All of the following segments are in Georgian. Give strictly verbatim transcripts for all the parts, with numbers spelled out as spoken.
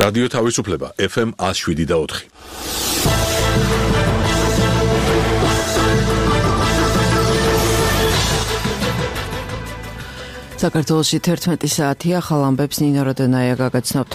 რადიო თავისუფლება ეფ ემ one oh seven და four. საქართველოში თერთმეტი საათია, ახალ ამბებს ნინო როდენაია გაგაცნობთ.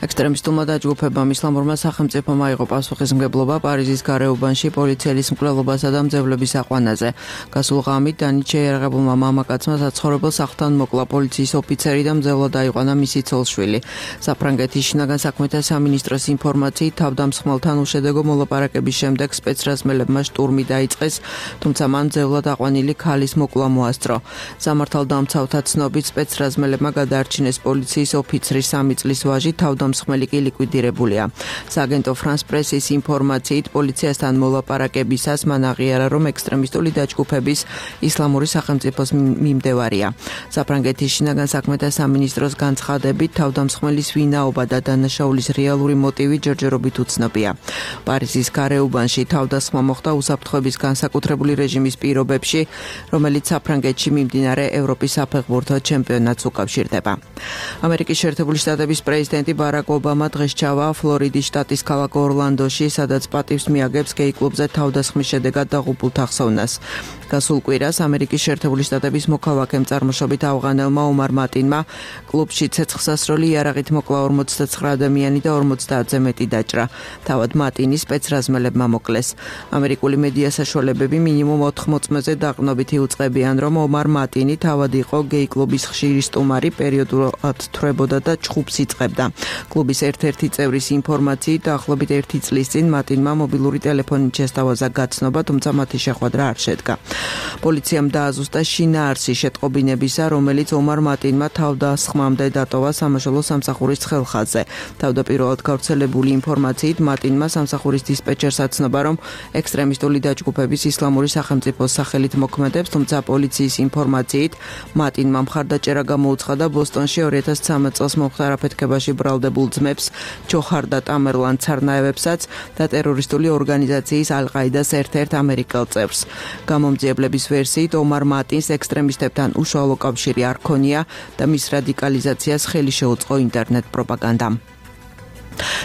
ექსტრემისტულმა დაჯგუფებამ ისლამურმა სახელმწიფომ აიღო პასუხისმგებლობა პარიზის გარეუბანში პოლიციელის მკვლელობასა და მძევლების აყვანაზე. გასულ ღამით დანით შეიარაღებულმა მამაკაცმა საცხოვრებელ სახლთან მოკლა პოლიციის ოფიცერი და მძევლად აიყვანა მისი ცოლ-შვილი. საფრანგეთის შინაგან საქმეთა სამინისტროს ინფორმაციით თავდამსხმელთან უშედეგო მოლაპარაკების შემდეგ სპეცრაზმელებმა შტურმი დაიწყეს, თუმცა მან მძევლად აყვანილი ქალის მოკლა მოასწრო. სამართალდამცავთა ცნობით სპეცრაზმელებმა გადაარჩინეს პოლიციის ოფიცრის სამი წლის ვაჟი, თავდამსხმელი კი ლიკვიდირებულია. სააგენტო ფრანს პრესის ინფორმაციით პოლიციასთან მოლაპარაკებისას მან აღიარა, რომ ექსტრემისტული დაჯგუფების ისლამური სახელმწიფოს მიმდევარია. საფრანგეთის შინაგან საქმეთა სამინისტროს განცხადებით თავდამსხმელის ვინაობა და დანაშაულის რეალური მოტივი ჯერჯერობით უცნობია. პარიზის გარეუბანში თავდასხმა მოხდა უსაფრთხოების განსაკუთრებული რეჟიმის პირობებში, რომელიც საფრანგეთში მიმდინარე ევროპის საფეხბურთო ჩემპიონატს უკავშირდება. ამერიკის შეერთებული შტატების პრეზიდენტი ბარაკ ობამა დღეს ჩავა ფლორიდის შტატის ქალაქ ორლანდოში, სადაც პატივს მიაგებს გეი კლუბზე თავდასხმის შედეგად დაღუპულთა ხსოვნას. გასულ კვირას ამერიკის შეერთებული შტატების მოქალაქემ წარმოშობით ავღანელმა ომარ მატინმა კლუბში ცეცხლსასროლი იარაღით მოკლა ორმოცდათსხრა ადამიანი და ორმოცდაათზე მეტი დაჭრა. თავად მატინი სპეცრაზმელებმა მოკლეს. ამერიკული მედია საშუალებები მინიმუმ ოთხ მოწმეზე დაყრდნობით იუწყებიან, რომ ომარ მატინი თავად იყო გეი კლუბის ხშირი სტუმარი, პერიოდულად თვრებოდა და ჩხუბს იწყებდა. კლუბის ერთ-ერთი წევრის ინფორმაციით დაახლოებით ერთი წლის წინ მატინმა მობილური ტელეფონით შესთავაზა გაცნობა, თუმცა მათი შეხვედრა არ შედგა. პოლიციამ დააზუსტა შინაარსი შეტყობინებისა, რომელიც ომარ მატინმა თავდასხმამდე დატოვა სამაშველო სამსახურის ცხელხაზზე. თავდაპირველად გავრცელებული ინფორმაციით მატინმა სამსახურის დისპეჩერს აცნობა, რომ ექსტრემისტული დაჯგუფების ისლამური სახელმწიფოს სახელით მოქმედებს, თუმცა პოლიციის ინფორმაციით მატინმა მხარდაჭერა გამოუცხადა ბოსტონში ორი ათას ცხრამეტ წელს მომხდარ აფეთქებაში ბრალდებულ ძმებს ჯოჰარ და ტამერლან ცარნაევებსაც და ტერორისტული ორგანიზაციის ალ-ყაიდას ერთ-ერთ ამერიკელ წევრს. გამომძიებლების ვერსიით ომარ მატინს ექსტრემისტებთან უშუალო კავშირი არ ქონია და მის რადიკალიზაციას ხელი შეუწყო ინტერნეტ პროპაგანდამ.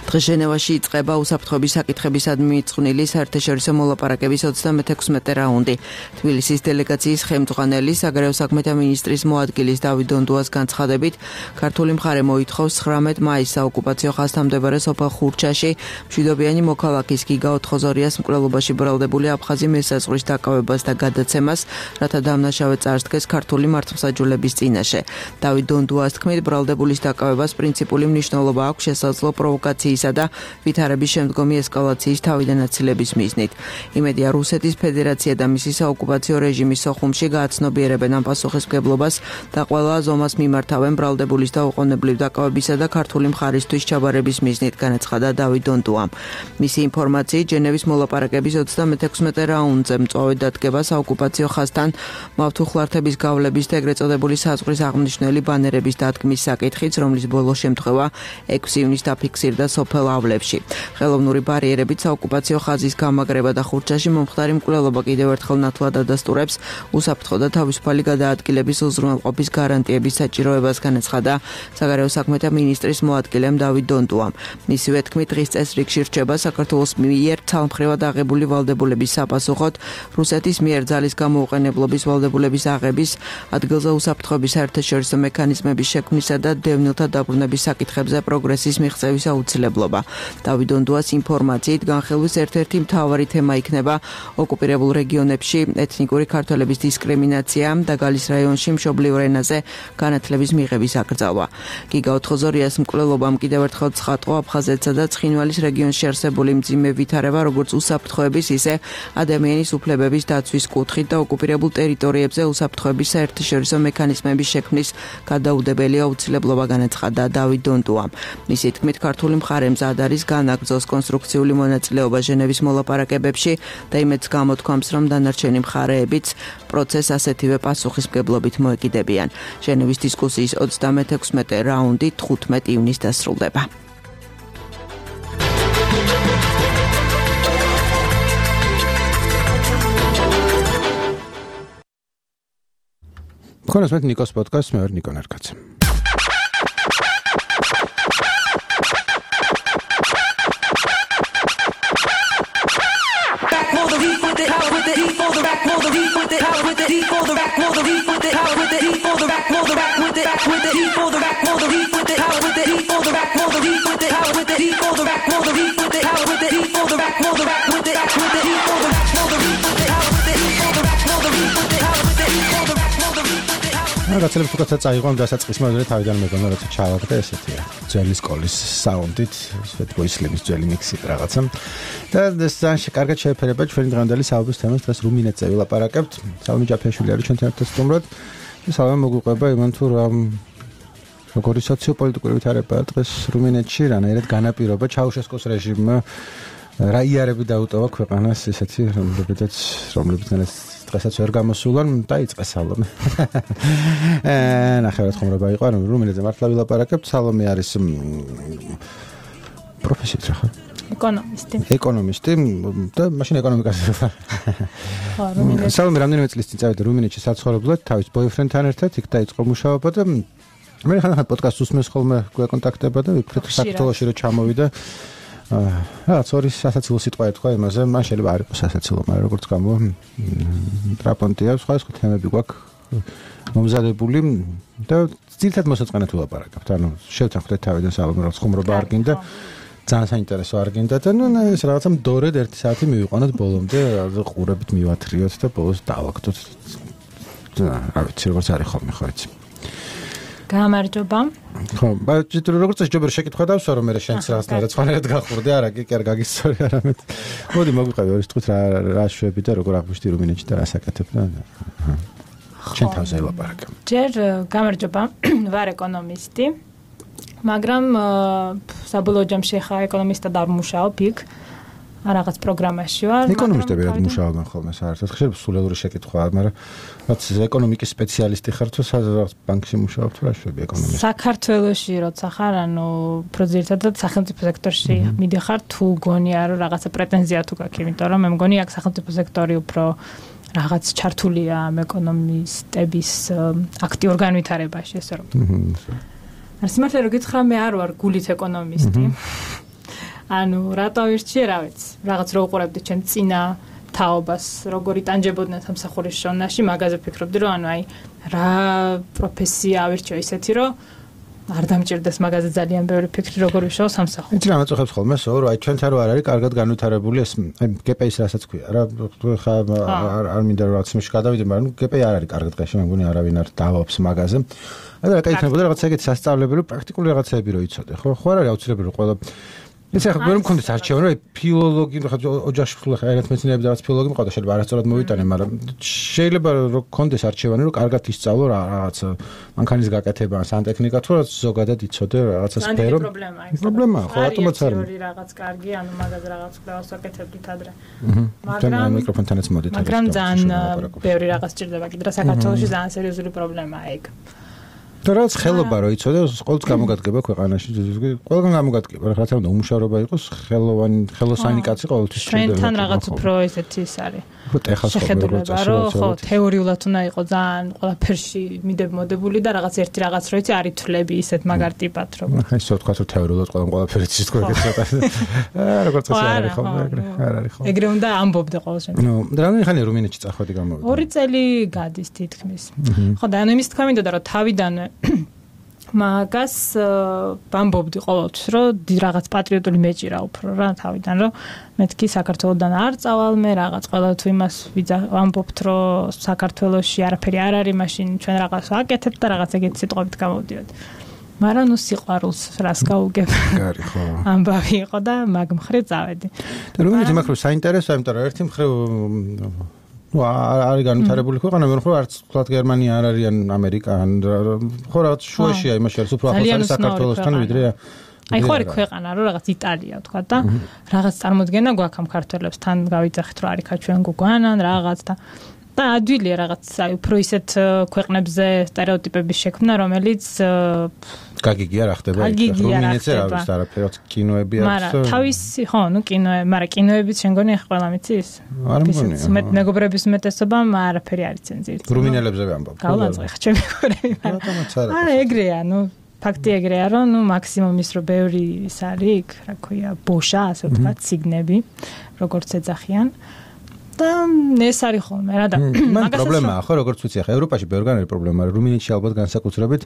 დღეს ჟენევაში იწყება უსაფრთხოების საკითხებისადმი მიწყვნილი საერთაშორისო მოლაპარაკების ოცდამექვსმეტე რაუნდი. თბილისის დელეგაციის ხელმძღვანელი საგარეო საქმეთა მინისტრის მოადგილის დავით დონდუას განცხადებით, ქართული მხარე მოითხოვს ცხრამეტ მაისს საოკუპაციო ხაზთან მდებარე სოფელ ხურჩაში მშვიდობიანი მოქალაქის გიგა ოთხოზორიას მკვლელობაში ბრალდებული აფხაზი მესაზღვრის დაკავებას და გადაცემას, რათა დამნაშავე წარსდგეს ქართული მართლმსაჯულების წინაშე. დავით დონდუას თქმით, ბრალდებულის დაკავებას პრინციპული მნიშვნელობა აქვს შესაძლო პროვოკაციისა და ვითარების შემდგომი ესკალაციის თავიდან აცილების მიზნით. იმედია, რუსეთის ფედერაცია და მისი საოკუპაციო რეჟიმის სოხუმში გააცნობიერებენ ამ პასუხისმგებლობას და ყველა ზომას მიმართავენ ბრალდებულის და უყოვნებლივ დაკავებისა და ქართული მხარისთვის ჩაბარების მიზნით, განაცხადა დავით დონდუამ. მისი ინფორმაციით, ჟენევის მოლაპარაკების ოცდამექვსმეტე რაუნდზე მწვავედ დადგება საოკუპაციო ხაზთან მავთუხლართების გავლების და ეგრეთ წოდებული საზღვრის აღმნიშვნელი ბანერების დადგმის საკითხიც, რომლის ბოლო შემთხვევა ექვსი ივნისს დაფიქსირდა სოფელ ავლებში. ხელოვნური ბარიერებით საოკუპაციო ხაზის გამაგრება და ხურჩაში მომხდარი მკვლელობა კიდევ ერთხელ ნათლად ადასტურებს უსაფრთხო და თავისუფალი გადაადგილების უზრუნველყოფის გარანტიების საჭიროებას, განაცხადა საგარეო საქმეთა მინისტრის მოადგილემ დავით დონდუამ. მისივე თქმით, დღის წესრიგში რჩება საქართველოს მიერ ცალმხრივად აღებული ვალდებულების საპასუხოდ რუსეთის მიერ ძალის გამოუყენებლობის ვალდებულების აღების, ადგილზე უსაფრთხოების საერთაშორისო მექანიზმების შექმნისა და დევნილთა დაბრუნების საკითხებზე პროგრესის მიღწევის აუცილებლობა. დავით დონდუას ინფორმაციით, განხილვის ერთ-ერთი მთავარი თემა იქნება ოკუპირებულ რეგიონებში ეთნიკური ქართველების დისკრიმინაცია და გალის რაიონში მშობლიურ ენაზე განათლების მიღების აკრძალვა. გიგა ოთხოზორიას მკვლელობამ კიდევ ერთხელ ცხადყო აფხაზეთსა და ცხინვალის რეგიონში არსებული მძიმე ვითარება, როგორც უსაფრთხოების, ისე ადამიანის უფლებების დაცვის კუთხით და ოკუპირებულ ტერიტორიებზე უსაფრთხოების საერთაშორისო მექანიზმების შექმნის გადაუდებელი აუცილებლობა, განაცხადა დავით დონდუამ. მისი თქმით, ქართული მხარე მზად არის განაგრძოს კონსტრუქციული მონაწილეობა ჟენევის მოლაპარაკებებში და იმედს გამოთქვამს, რომ დანარჩენი მხარეებიც პროცესს ასეთივე პასუხისმგებლობით მოეკიდებიან. ჟენევის დისკუსიის ოცდამექვსმეტე რაუნდი თხუთმეტ ივნისს დასრულდება. Ქონას მე ნიკოს პოდკასტს მე ვარ ნიკო ნერკაცი. რაღაცებს უკაცა წაიღო ამ დასაწყისმა ვიდრე თავიდან მეგონა როცა ჩავაგდე ესეთია ძველი სკოლის საუნდით Fatboy Slim-ის ძველი მიქსი რაღაცა და ძალიან კარგად შეეფერება ჩვენი დღევანდელი საუბრის თემას დღეს რუმინეთზე ვილაპარაკებთ სალომე ჯაფიაშვილი არის ჩვენთან ერთად სტუმრად და სალომე მოგვიყვება იმან თუ რა როგორი სოციოპოლიტიკური ვითარებაა დღეს რუმინეთში რანაირად განაპირობა ჩაუშესკოს რეჟიმმა რა იარები დაუტოვა ქვეყანას ესეთი რომლებიც რომლებიც დღესაც ვერ გამოსულან დაიწყეს სალომე. აა ნახევრად ხომრობა იყო, რომ რუმინეთზე მართლა ვილაპარაკებთ. სალომე არის პროფესიით რა ხარ? ეკონომისტი. ეკონომისტი და მაშინ ეკონომიკაზე ვარ. ხო, რუმინეთში. სალომე რამდენიმე წლის წინ წავიდა რუმინეთში საცხოვრებლად თავის ბოიფრენდთან ერთად, იქ დაიწყო მუშაობა და მე ხან-ხან პოდკასტს უსმენს ხოლმე გვეკონტაქტება და ვიფიქრე საქართველოში რომ ჩამოვიდა აა სორი სასაცილო სიტყვა ეთქვა იმაზე მან შეიძლება არ იყოს სასაცილო მაგრამ როგორც გამო ტრაპონტია სხვა სხვა თემები გვაქვს მომზადებული და ძირითადად მოსაწყენად ვილაპარაკებთ ანუ შევთანხმდეთ თავიდან სალომე რაღაც ხუმრობა არ გინდა ძალიან საინტერესო არ გინდა და ნუ ეს რაღაცა მდორედ ერთი საათი მივიყვანოთ ბოლომდე ყურებით მივათრიოთ და ბოლოს დავაგდოთ რა ვიცი როგორც არის ხოლმე ხო იცი გამარჯობა. ხო, ბაჭიტრო როგორც შეიძლება შეკითხვა დავსვა რომ მე შენც რაღაცნაირად სხვანაირად გახურდი არა კი კი არ გაგისწორი არამედ. მოდი მოგვიყევი ორი თვით რა რა შვები და როგორ აღვიშთი რუმინეთში და რა საკეთებ და შენ თავზე ელაპარაკე. ჯერ გამარჯობა, ვარ ეკონომისტი. მაგრამ საბოლოო ჯამში ხა ეკონომისტად არ მუშაობ იქ. რაღაც პროგრამაში ვარ. ეკონომისტები რა მუშაობენ ხოლმე საერთოდ ხშირ სულელური შეკითხვაა, მაგრამ რაც ეკონომიკის სპეციალისტი ხარ თუ სადღაც ბანკში მუშაობ თუ რა შვები ეკონომისტი. საქართველოში როცა ხარ, ანუ პროძირთადად სახელმწიფო სექტორში მიდიხარ თუ გონია რომ რაღაცა პრეტენზია თუ გაქვს, იმიტომ რომ მე მგონი აქ სახელმწიფო სექტორი უფრო რაღაც ჩართულია ამ ეკონომისტების აქტიურ განვითარებაში, ესე რომ. არ სიმართლე რომ გითხრა მე არ ვარ გულით ეკონომისტი. ანუ რატო ვირჩიე, რა ვიცი. რაღაც რო უყურებდი ჩემ წინა თაობას, როგორი ტანჯებოდნენ სამსახურის შონაში, მაგაზე ფიქრობდი, რომ ანუ აი რა პროფესია ავირჩიო ისეთი, რომ არ დამჭირდეს მაგაზე ძალიან ბევრი ფიქრი, როგორ ვიშაო სამსახურში. იცი რა მაწუხებს ხოლმე, სო რომ აი ჩვენთან რო არ არის კარგად განვითარებული ეს აი ჯი პი ის რასაც ქვია. რა ხა არ არ მინდა რომ რაღაც მის გადავიდე, მაგრამ ჯი პი არ არის კარგად დღეში, მე მგონი არავინ არ დავობს მაგაზე. აი რა კეთებოდა რაღაც ეგეთი სასწავლებელი, რომ პრაქტიკული რაღაცეები რო იცოდე, ხო? ხო არ არის აუცილებელი რომ ყველა ეს ახლა ვერ მქონდეს არჩევანი, რომ ფილოლოგი, ხა ოჯახში ხლა რაღაც მეცნიერები და რაღაც ფილოლოგი მყავდა, შეიძლება არასწორად მოვიტანე, მაგრამ შეიძლება რომ მქონდეს არჩევანი, რომ კარგად ისწავლო რაღაც მანქანის გაკეთება, სანტექნიკა თუ რაღაც ზოგადად იცოდე რაღაცა სფერო. პრობლემაა, ხო, რატომაც არ არის. რაღაც კარგი, ანუ მაგაზე რაღაც კვლევას ვაკეთებდით ადრე. მაგრამ მიკროფონთანაც მოდით. მაგრამ ძალიან ბევრი რაღაც ჭირდება კიდე საქართველოში ძალიან სერიოზული პრობლემაა ეგ. და რაც ხელობა რო იცოდე, ყოველთვის გამოგადგება ქვეყანაში, ყველგან გამოგადგება, რა თქმა უნდა, უმუშავრობა იყოს, ხელოვანი, ხელოსანი კაცი ყოველთვის ჭირდება. ჩვენთან რაღაც უფრო ესეთი ის არის. ხო, ეხლა შეხედულება, რომ ხო, თეორიულად უნდა იყოს ძალიან ყველაფერში მიდებმოდებული და რაღაც ერთი რაღაც რო იცი, არ ითვლები ისეთ მაგარ ტიპად, რომ. აი, ისე ვთქვა, რომ თეორიულად ყველამ ყველაფერი იცის თქვენ ეგეც ცოტა. აა, როგორც ასე არ არის ხოლმე, ეგრე, არ არის ხოლმე. ეგრე უნდა ამბობდე ყოველ შემთხვევაში. ნუ, რამდენი ხანია რუმინეთში წახვედი გამოვიდა? ორი წელი გადის თითქმის. ხო, და ანუ იმის თქვა მინდოდა, რომ თავიდანვე მაგას ვამბობდი ყოველთვის, რომ რაღაც პატრიოტული მეჭირა უფრო რა თავიდან, რომ მეთქი საქართველოსდან არ წავალ მე რაღაც ყველა თუ იმას ვამბობთ, რომ საქართველოში არაფერი არ არის, მაშინ ჩვენ რაღაც ვაკეთებთ და რაღაც ეგეთი სიტყვებით გამოვდიოდ. მაგრამ ნუ სიყვარულს რას გაუგებ. გარი ხო. ამბავი იყო და მაგ მხრივ წავედი. და რუმინეთი მაგ მხრივ საინტერესოა, იმიტომ რომ ერთი მხრივ ну არის განვითარებული ქვეყანა, მე ხო არც თქვათ გერმანია არ არის ან ამერიკა ან ხო რაღაც შუაშია იმაში არის უფრო ახლოს არის საქართველოსთან ვიდრე აი ხო არის ქვეყანა რომ რაღაც იტალია თქვა და რაღაც წარმოდგენა გვაქვს ამ ქართველებს თან გავიძახით რომ არიქა ჩვენ გუგვანან რაღაც და და ადვილია რაღაც აი უფრო ისეთ ქვეყნებზე სტერეოტიპების შექმნა რომელიც გაგიგია რა ხდება რუმინეთზე რა ვიცი არაფერად კინოები აქვს მაგრამ თავისი ხო ნუ კინოები მაგრამ კინოებიც შენ გონი ყველა მიცის არ მგონია მე მეგობრების უმეტესობამ არაფერი არ იცენ ძირით რუმინელებზე ვამბობ გავანწყე ხ ჩემი მეგობრები მაგრამ არა ეგრეა ნუ ფაქტი ეგრეა რომ ნუ მაქსიმუმ ის რომ ბევრი ის არის რა ქვია ბოშა ასე ვთქვათ სიგნები როგორც ეძახიან და ეს არის ხოლმე რა და მაგას პრობლემაა ხო როგორც ვიცი ახლა ევროპაში ბევრგან არის პრობლემა რუმინეთში ალბათ განსაკუთრებით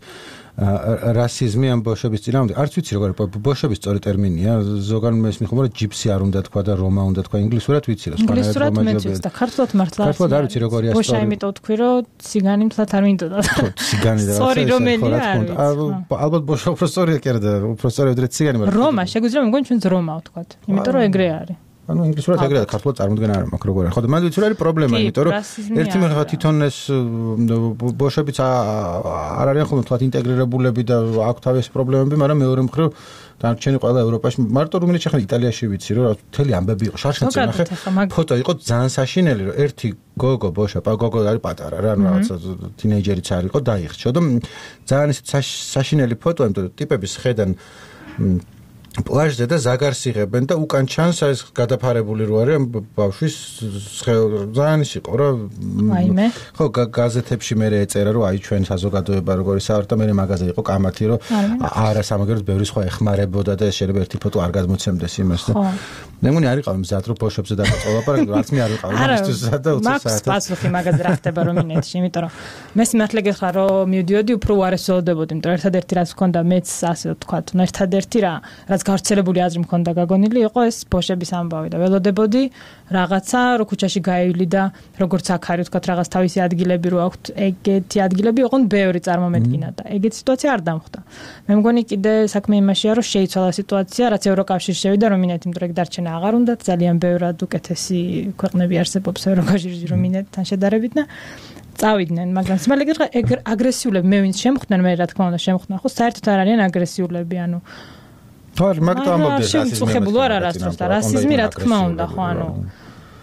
რასიზმი ამ ბოშების წინააღმდეგ არც ვიცი როგორ ბოშების სწორი ტერმინია ზოგან მესმის ხომ რომ ჯიპსი არ უნდა თქვა და რომა უნდა თქვა ინგლისურად ვიცი რა სხვა ინგლისურად მეც და ქართულად მართლა ქართულად არ ვიცი როგორია სწორი ბოშა იმიტომ თქვი რომ ციგანი მთლად არ მინდოდა ციგანი და სწორი რომელია ალბათ ბოშა უფრო სწორია კი არა და უფრო სწორი ვიდრე ციგანი მაგრამ რომა შეგვიძლია მეგონი ჩვენც რომა ვთქვათ იმიტომ რომ ეგრე არის ანუ ინგლისურად ეგრეა ქართულად წარმოდგენა არ მაქვს როგორ არის ხო და მანდ ვიცი რა არის პრობლემა იმიტომ რომ ერთი მეხა თვითონ ეს ბოშებიც არ არიან ხოლმე თვათ ინტეგრირებულები და აქვს თავისი პრობლემები მაგრამ მეორე მხრივ დარჩენი ყველა ევროპაში მარტო რუმინეთში ხან იტალიაში ვიცი რომ მთელი ამბები იყო შარშანცი ნახე ფოტო იყო ძალიან საშინელი რომ ერთი გოგო ბოშა გოგო არის პატარა რა ანუ რაღაცა თინეიჯერიც არ იყო დაიხჩო და ძალიან ისეთ საშინელი ფოტო იმიტომ რომ ტიპების ხედან პლაჟზე და ზაგარს იღებენ და უკან ჩანს ეს გადაფარებული რო არის ბავშვის ძალიან ის იყო რა აიმე ხო გაზეთებში მე ეწერა რომ აი ჩვენ საზოგადოება როგორი საერთოდ და მე მაგაზე იყო კამათი რომ არა სამაგერად ბევრი სხვა ეხმარებოდა და შეიძლება ერთი ფოტო არ გადმოცემდეს იმას და მე მგონი არ იყავ მზად რომ ბოშებზე დაგაწოლაპარაკე არც მე არ ვიყავ იმისთვის და ოცი საათი მაქვს პასუხი მაგაზე რა ხდება რუმინეთში იმიტომ რომ მე სიმართლე გითხრა რომ მივდიოდი უფრო უარესოდებოდი იმიტომ რომ ერთადერთი რაც მქონდა მეც ასე ვთქვათ ერთადერთი რა რაც გავრცელებული აზრი მქონდა გაგონილი იყო ეს ბოშების ამბავი და ველოდებოდი რაღაცა რო ქუჩაში გაივლი და როგორც აქ არის ვთქვათ რაღაც თავისი ადგილები რო აქვთ ეგეთი ადგილები იყვნენ ბევრი წარმომედგინა და ეგეთი სიტუაცია არ დამხვდა მე მგონი კიდე საქმე იმაშია რომ შეიცვალა სიტუაცია რაც ევროკავშირში შევიდა რუმინეთი იმიტომ რომ ეგ დარჩენა აღარ უნდა ძალიან ბევრად უკეთესი ქვეყნები არსებობს ევროკავშირში რუმინეთთან შედარებით და წავიდნენ მაგრამ სიმართლე გითხრა აგრესიულები მე ვინც შემხვდნენ მე რა თქმა უნდა შემხვდნენ ხო საერთოდ არ არიან აგრესიულები ანუ თორ მაგ და ამბობდნენ შემწუხებულ არ არის რა თქმა რასიზმი რა თქმა უნდა ხო ანუ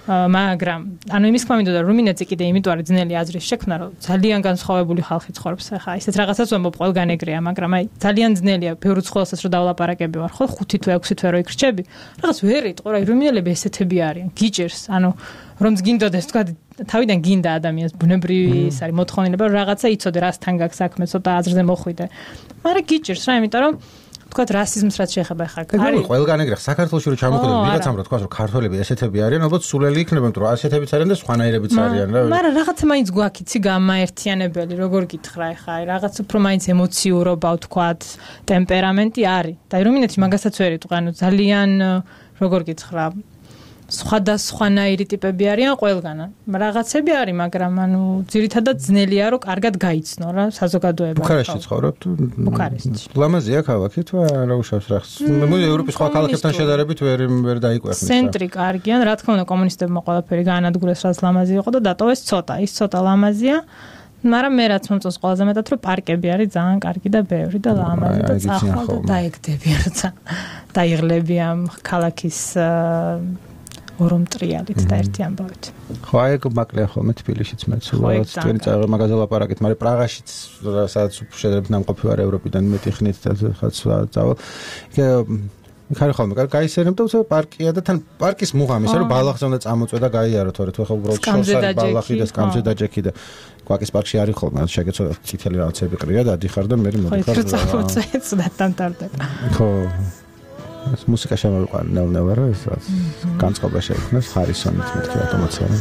მაგრამ ანუ იმის თქმა მინდოდა რუმინეთზე კიდე იმიტომ არის ძნელი აზრის შექმნა რომ ძალიან განსხვავებული ხალხი ცხოვრობს ახლა ისეთ რაღაცას ვამბობ ყველგან ეგრეა მაგრამ აი ძალიან ძნელია ბევრი ცხოველსაც რომ დავლაპარაკები ვარ ხო ხუთი თვე ექვსი თვე რო იქრჩები რაღაც ვერ იტყო რა რუმინელები ესეთები არიან გიჭერს ანუ რომ გინდოდეს თქვა თავიდან გინდა ადამიანს ბუნებრივი ის არის მოთხოვნილება რომ რაღაცა იცოდე რასთან გაქვს საქმე ცოტა აზრზე მოხვიდე მაგრამ გიჭერს რა იმიტომ რომ თქვათ რასიზმს რაც შეეხება ხა არის ყველგან ეგრე საქართველოში რო ჩამოხვიდე ვიღაცამ რო თქვას რომ ქართველები ესეთები არიან ალბათ სულელი იქნება იმიტომ რომ ასეთებიც არიან და სხვანაირებიც არიან რა მაგრამ რაღაცა მაინც გვაქიცი გამაერთიანებელი როგორ გითხრა ხა აი რაღაც უფრო მაინც ემოციურობა ვთქვათ ტემპერამენტი არის და რუმინეთში მაგასაც ვერ იტყვი ანუ ძალიან როგორ გითხრა სხვადასხვანაირი ტიპები არიან ყველგან. რაღაცები არის, მაგრამ ანუ ძირითადად ძნელია რომ კარგად გაიცნო რა საზოგადოება. ბუქარესტში ცხოვრობთ? ბუქარესტში. ლამაზია ქალაქი თუ არა უშავს რახს? მე ევროპის სხვა ქალაქებთან შედარებით ვერ ვერ დაიკვეხნეს. ცენტრი კარგიან, რა თქმა უნდა კომუნისტებმა ყველაფერი გაანადგურეს, რაც ლამაზი იყო და დატოვეს ცოტა. ის ცოტა ლამაზია. მაგრამ მე რაც მომწონს ყველაზე მეტად რომ პარკები არის ძალიან კარგი და ბევრი და ლამაზი და წახვალ და დაეგდები როცა დაიღლები ამ ქალაქის ორომ ტრიალით და ერთი ამბავით. ხო, აი ეგ მაკლია ხოლმე თბილისშიც მეც უბრალოდ თქვენი წაიღე მაგაზე ლაპარაკით, მაგრამ პრაღაშიც სადაც შედარებით ნამყოფი ვარ ევროპიდან მეტი ხნით და ხაც წავალ. იქ არის ხოლმე გაისერემ და უცებ პარკია და თან პარკის მუღამისა რომ ბალახზე უნდა წამოწვე და გაიარო თორე თუ ხა უბრალოდ შორს არის ბალახი და სკამზე დაჯექი და კვაკის პარკში არის ხოლმე შეგეცოდა წითელი რაღაცები ყრია და ადიხარ და მე მოდიხარ. ხო, წამოწვე ცუდად ტარდება. ხო ეს მუსიკა შემოვიყვანა ნელ-ნელა რა ეს რაც განწყობა შეიქმნას ხარისონით მეთქი ავტომატურად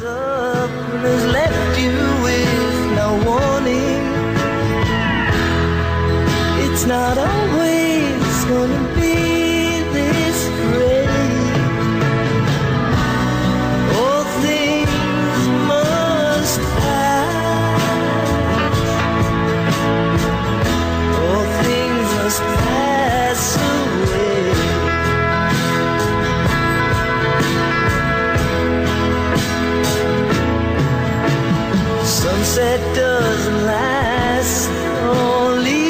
It's not always gonna be this great All things must pass All things must pass away Sunset doesn't last only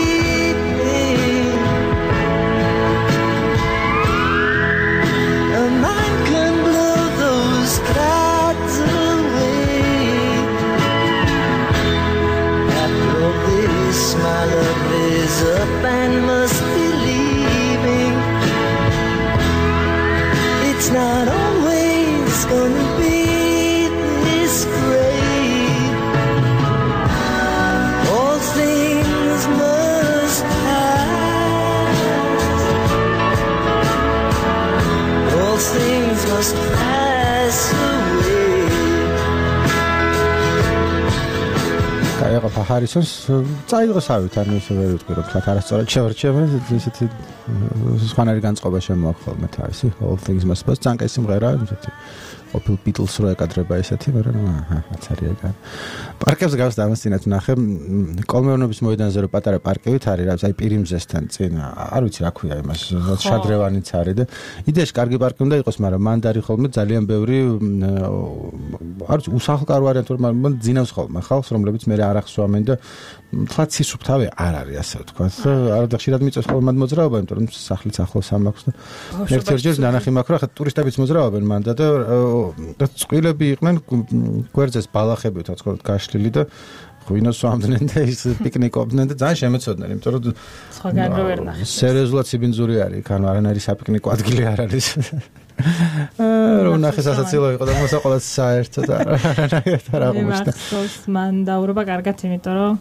a man can blow those clouds away After all this my love is up and must be leaving It's not always gonna be this great All things კაი, ახლა ჰარისონს წაიღოსავით, ანუ ისე ვერ ვიტყვი, რომ თქვა არასწორად შევარჩიე, ისეთი სხვანაირი განწყობა შემოაქვს ხოლმე თავისი, all things must pass, ძალიან კაი სიმღერაა, ისეთი ყოფილ ბიტლს რო ეკადრება ესეთი, მაგრამ აჰა, აცარია გან. პარკებს გავს დამასწინათ ნახე, კოლმეურნეობის მოედანზე რო პატარა პარკებით არის, რა, აი პირიმზესთან წინ, არ ვიცი რა ქვია იმას, შადრევანიც არის და იდეაში კარგი პარკი უნდა იყოს, მაგრამ მანდ არის ხოლმე ძალიან ბევრი არ ვიცი, უსახლკარო ვარიანტი, მაგრამ ძინავს ხოლმე ხალხს, რომლებიც მე არ ახსოვამენ და თლაც სისუფთავე არ არის, ასე ვთქვათ. არა და ხშირად მიწევს ხოლმე მანდ მოძრაობა, იმიტომ რომ სახლიც ახლოს ამაქვს და ერთ-ერთ ნანახი მაქვს, რა ხა ტურისტებიც მოძრაობენ მანდა და და წყვილები იყვნენ გვერდზეს ბალახები თქო გაშლილი და ღვინოს ვამდნენ და ის პიკნიკობდნენ და ძალიან შემეცოდნენ, იმიტომ რომ სხვაგან რო ვერ ნახე. სერიოზულად სიბინძური არის, ანუ არანაირი საპიკნიკო ადგილი არ არის. რომ ნახე სასაცილო იყო და მოსაყოლად საერთოდ არანაირად არ აღმოჩნდა. მან დაურობა კარგად, იმიტომ რომ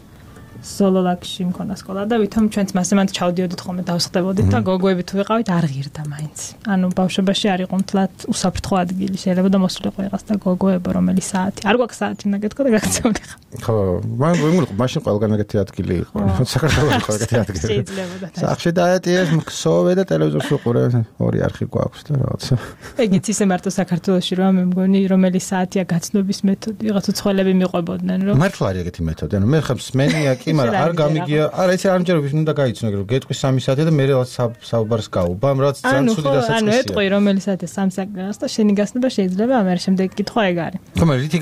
სოლოლაკში მქონა სკოლა და ვითომ ჩვენც მასემანთ ჩავდიოდით ხოლმე დავსხდებოდით და გოგოები თუ ვიყავით არ ღირდა მაინც. ანუ ბავშვობაში არ იყო მთლად უსაფრთხო ადგილი, შეიძლება და მოსულიყო იყას და გოგოებო რომელი საათი. არ გვაქვს საათი უნდა გეთქვა და გაგცევნე ხა. ხო, მან ვიმულიყო, მაშინ ყველგან ეგეთი ადგილი იყო. საქართველოში იყო ეგეთი ადგილი. შეიძლებოდა. სახში დაეტიეს, ქსოვე და ტელევიზორს უყურე, ორი არხი გვაქვს და რაღაცა. ეგეც ისე მარტო საქართველოში რა მე მგონი რომელი საათია გაცნობის მეთოდი, რაღაც უცხოელები მიყვებოდნენ რომ მართლა არის ეგეთი მეთოდი. ანუ მე ხომ სმენია კი, მაგრამ არ გამიგია. არა, ესე არ მჯერა ვის უნდა გაიცნო, რომ გეტყვი სამი საათი და მე რაღაც საუბარს გაუბამ, რაც ძალიან ცუდი დასაწყისია. ანუ ეტყვი რომელი საათია სამი საათი და შენი გასნება შეიძლება, ამერე შემდეგ კითხვა ეგ არის. ხომ რითი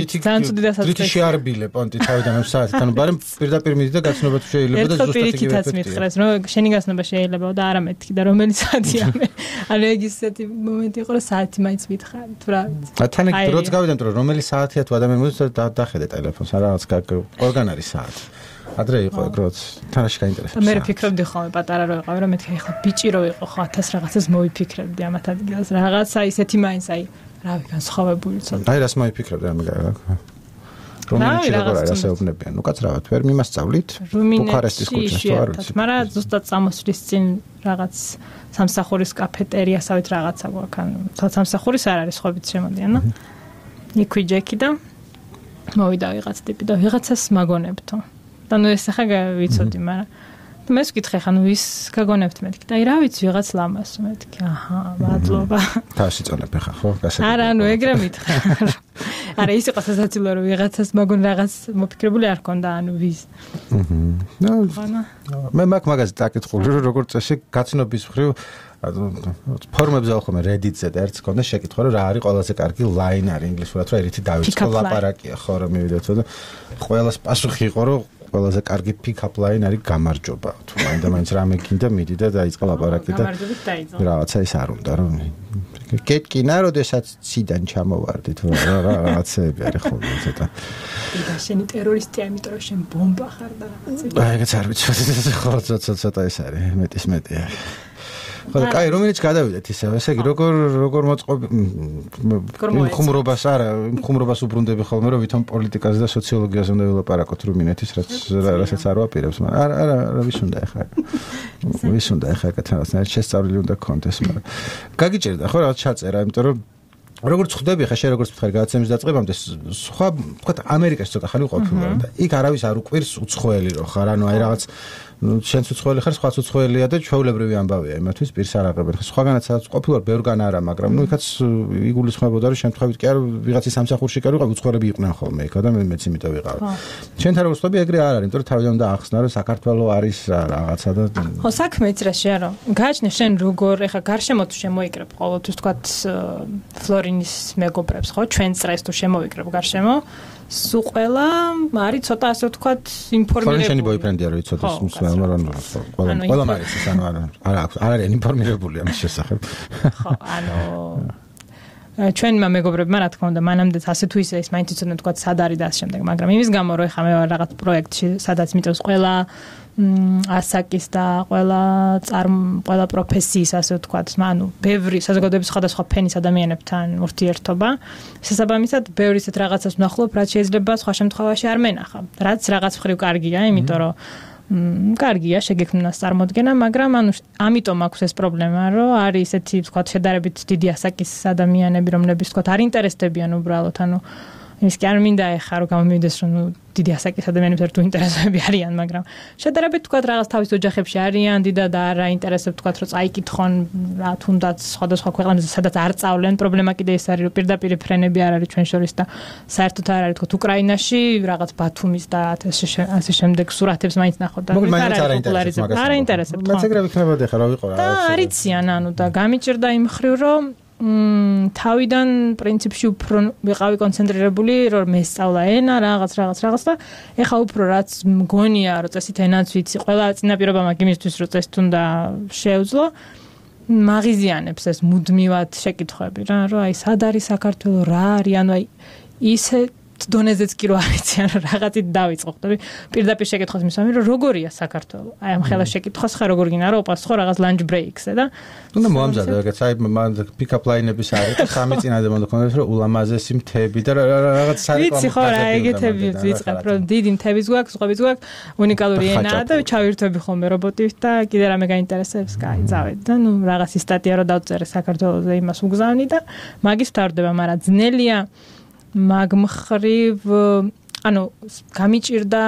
რითი ძალიან ცუდი დასაწყისია. რითი შეარბილე პონტი თავიდან ამ საათით, ანუ ბარემ პირდაპირ მიდი და გაცნობა თუ შეიძლება და ზუსტად იგივე მითხრეს, რომ შენი გასნება შეიძლება და არა მეთქი და რომელი საათია მე. ანუ ეგ ისეთი მომენტი იყო, რომ საათი მაინც მითხარი, თუ რა ვიცი. თან ეგ დროც გავიდა, რომ რომელი საათია თუ ადამიანი მოდის და დახედე ტელეფონს, რაღაც ყველგან არის საათი. ადრე იყო ეგ როც თანაში გაინტერესებს. მე ვფიქრობდი ხოლმე პატარა რო ვიყავი, რომ მეთქი ახლა ბიჭი რო იყო, ხო ათას რაღაცას მოვიფიქრებდი ამათ ადგილას. რაღაცა ისეთი მაინც აი, რავი, განსხვავებული ცოტა. აი რას მოვიფიქრებდი ამ გაგა. რომელი როგორ არის ასეუბნებიან. ნუ კაცრავად, ვერ მიმასწავლით ბუქარესტის ქუჩას თუ არ ვიცი. მაგრამ ზუსტად წამოსვლის წინ რაღაც სამსახურის კაფეტერიასავით რაღაცა გვაქვს. ანუ სამსახურის არ არის, ხობით შემოდიან, ნუ. იქვი ჯეკი და მოვიდა ვიღაც ტიპი და ვიღაცას მაგონებთო. და ნუ ეს ახლა ვიცოდი, მაგრამ მე ვკითხე ხან ვის გაგონებთ მეთქი და აი რა ვიცი ვიღაც ლამას მეთქი. აჰა, მადლობა. თავში წონებ ხა ხო? გასაგებია. არა, ნუ ეგრე მითხრა. არა, ის იყო სასაცილო რომ ვიღაცას მაგონ რაღაც მოფიქრებული არ ქონდა, ანუ ვის. აჰა. ნუ მე მაგ მაგაზე დაკითხული რომ როგორ წესი გაცნობის მხრივ ფორმებზე ახლა Reddit-ზე და ერთს ქონდა შეკითხვა რომ რა არის ყველაზე კარგი line არის ინგლისურად რომ ერთი დავიწყო ლაპარაკია ხო რომ მივიდეთო და ყველას პასუხი იყო რომ ყველაზე კარგი pick-up line არის გამარჯობა თუ მაინდა მაინც რამე გინდა მიდი და დაიწყო ლაპარაკი და რაღაცა ის არ უნდა რომ გეტკინა როდესაც ციდან ჩამოვარდი თუ რაღაცები არის ხოლმე ცოტა და შენი ტერორისტია იმიტომ რომ შენ ბომბა ხარ და რაღაცები აი ეგეც არ ვიცი ხო ცოტა ცოტა ის არის მეტის მეტი არის ხო და კაი რომელიც გადავიდეთ ისე ესე იგი როგორ როგორ მოწყობ ხუმრობას არა ხუმრობას უბრუნდები ხოლმე რომ ვითომ პოლიტიკაზე და სოციოლოგიაზე უნდა ვილაპარაკოთ რუმინეთის რაც რასაც არ ვაპირებს მაგრამ არა არა არა ვის უნდა ახლა ვის უნდა ახლა კეთებას ნაირ შესწავლილი უნდა კონტეს მაგრამ გაგიჭერდა ხო რაღაც ჩაწერა იმიტომ რომ როგორც ხვდები ხა შენ როგორც ვთქვი გადაცემის დაწყებამდე სხვა ვთქვათ ამერიკაში ცოტა ხანი ყოფილა და იქ არავის არ უყვირს უცხოელი რო ხარ ანუ აი რაღაც შენც უცხოელი ხარ სხვაც უცხოელია და ჩვეულებრივი ამბავია იმათვის პირს არ აღებენ ხა სხვაგანაც სადაც ყოფილა ბევრგან არა მაგრამ ნუ იქაც იგულისხმებოდა რომ შემთხვევით კი არ ვიღაცის სამსახურში კი არ ვიყავ უცხოელები იყვნენ ხოლმე იქა და მე მეც იმიტომ ვიყავ შენთან როგორც ხვდები ეგრე არ არის იმიტომ რომ თავიდან უნდა ახსნა რომ საქართველოს არის რაღაცა და ხო საქმე იცი რა შეარო გააჩნია შენ როგორ ეხა გარშემო თუ შემოიკრებ ყოველთვის ვთქვათ ფლორინის მეგობრებს ხო ჩვენ წრეს თუ შემოვიკრებ გარშემო სულ ყველა არის ცოტა ასე ვთქვათ ინფორმირებული. შენი ბოიფრენდია რომ იცოდეს მსმენელს, მაგრამ ყველა ყველა მარის ის ანუ არა არა არ არის ინფორმირებული ამის შესახებ. ხო, ანუ ჩვენმა მეგობრებმა რა თქმა უნდა მანამდეც ასე თუ ისე ის მაინც იცოდნენ ვთქვათ სად არის და ამ შემდეგ, მაგრამ იმის გამო რომ ეხა მე ვარ რაღაც პროექტში, სადაც მიწევს ყველა ასაკის და ყველა წარმ ყველა პროფესიის ასე ვთქვათ, ანუ ბევრი საზოგადოების სხვადასხვა ფენის ადამიანებთან ურთიერთობა. შესაბამისად, ბევრი ისეთ რაღაცას ვნახულობ, რაც შეიძლება სხვა შემთხვევაში არ მენახა. რაც რაღაც მხრივ კარგია, იმიტომ რომ კარგია შეგექმნას წარმოდგენა, მაგრამ ანუ ამიტომ აქვს ეს პრობლემა, რომ არის ესეთი ვთქვათ შედარებით დიდი ასაკის ადამიანები, რომლებიც ვთქვათ არ ინტერესდებიან უბრალოდ, ანუ ის კი არ მინდა ეხა რომ გამომივიდეს რომ დიდი ასაკის ადამიანებს ერთუ ინტერესები არიან, მაგრამ შედარებით თქვა რაღაც თავის ოჯახებში არიან, დიდად არ აინტერესებს თქვა რომ წაიკითხონ რა თუნდაც სხვადასხვა ქვეყანაზე სადაც არ წავლენ, პრობლემა კიდე ეს არის რომ პირდაპირ ფრენები არ არის ჩვენ შორის და საერთოდ არ არის თქვა უკრაინაში რაღაც ბათუმის და ასე შემდეგ სურათებს მაინც ნახოთ და არ აინტერესებს. მეც ეგრე ვიქნებოდი ხა რა ვიყო რა. და არიციან ანუ და გამიჭირდა იმ ხრივ რომ მ თავიდან პრინციპში უფრო ვიყავი კონცენტრირებული რომ მესწავლა ენა რაღაც რაღაც რაღაც და ეხა უფრო რაც მგონია რომ წესით ენაც ვიცი ყველა წინაპირობა მაგ იმისთვის რომ წესით უნდა შეეძლო მაგიზიანებს ეს მუდმივად შეკითხვები რა რომ აი სად არის საქართველო რა არის ანუ აი ისე დონეზეც კი რო არიციან რომ რაღაცით დავიწყო ხტები პირდაპირ შეკითხოს მისვამი რომ როგორია საქართველო აი ამ ხელა შეკითხოს ხა როგორ გინდა რომ უპასუხო რაღაც ლანჩ ბრეიქზე და უნდა მოამზადო ეგეც აი პიკაპ ლაინების არის და სამი წინადე მოდა ქონდეს რომ ულამაზესი მთები და რაღაც საერთოდ ვიცი ხო რა ეგეთები ვიწყებ რომ დიდი მთების გვაქვს ზღვების გვაქვს უნიკალური ენაა და ჩავირთვები ხოლმე რობოტით და კიდე რამე გაინტერესებს კაი წავედი და ნუ რაღაცი სტატია რო დავწერე საქართველოზე იმას უგზავნი და მაგის ვთავრდება მაგრამ ძნელია მაგ მხრივ ანუ გამიჭირდა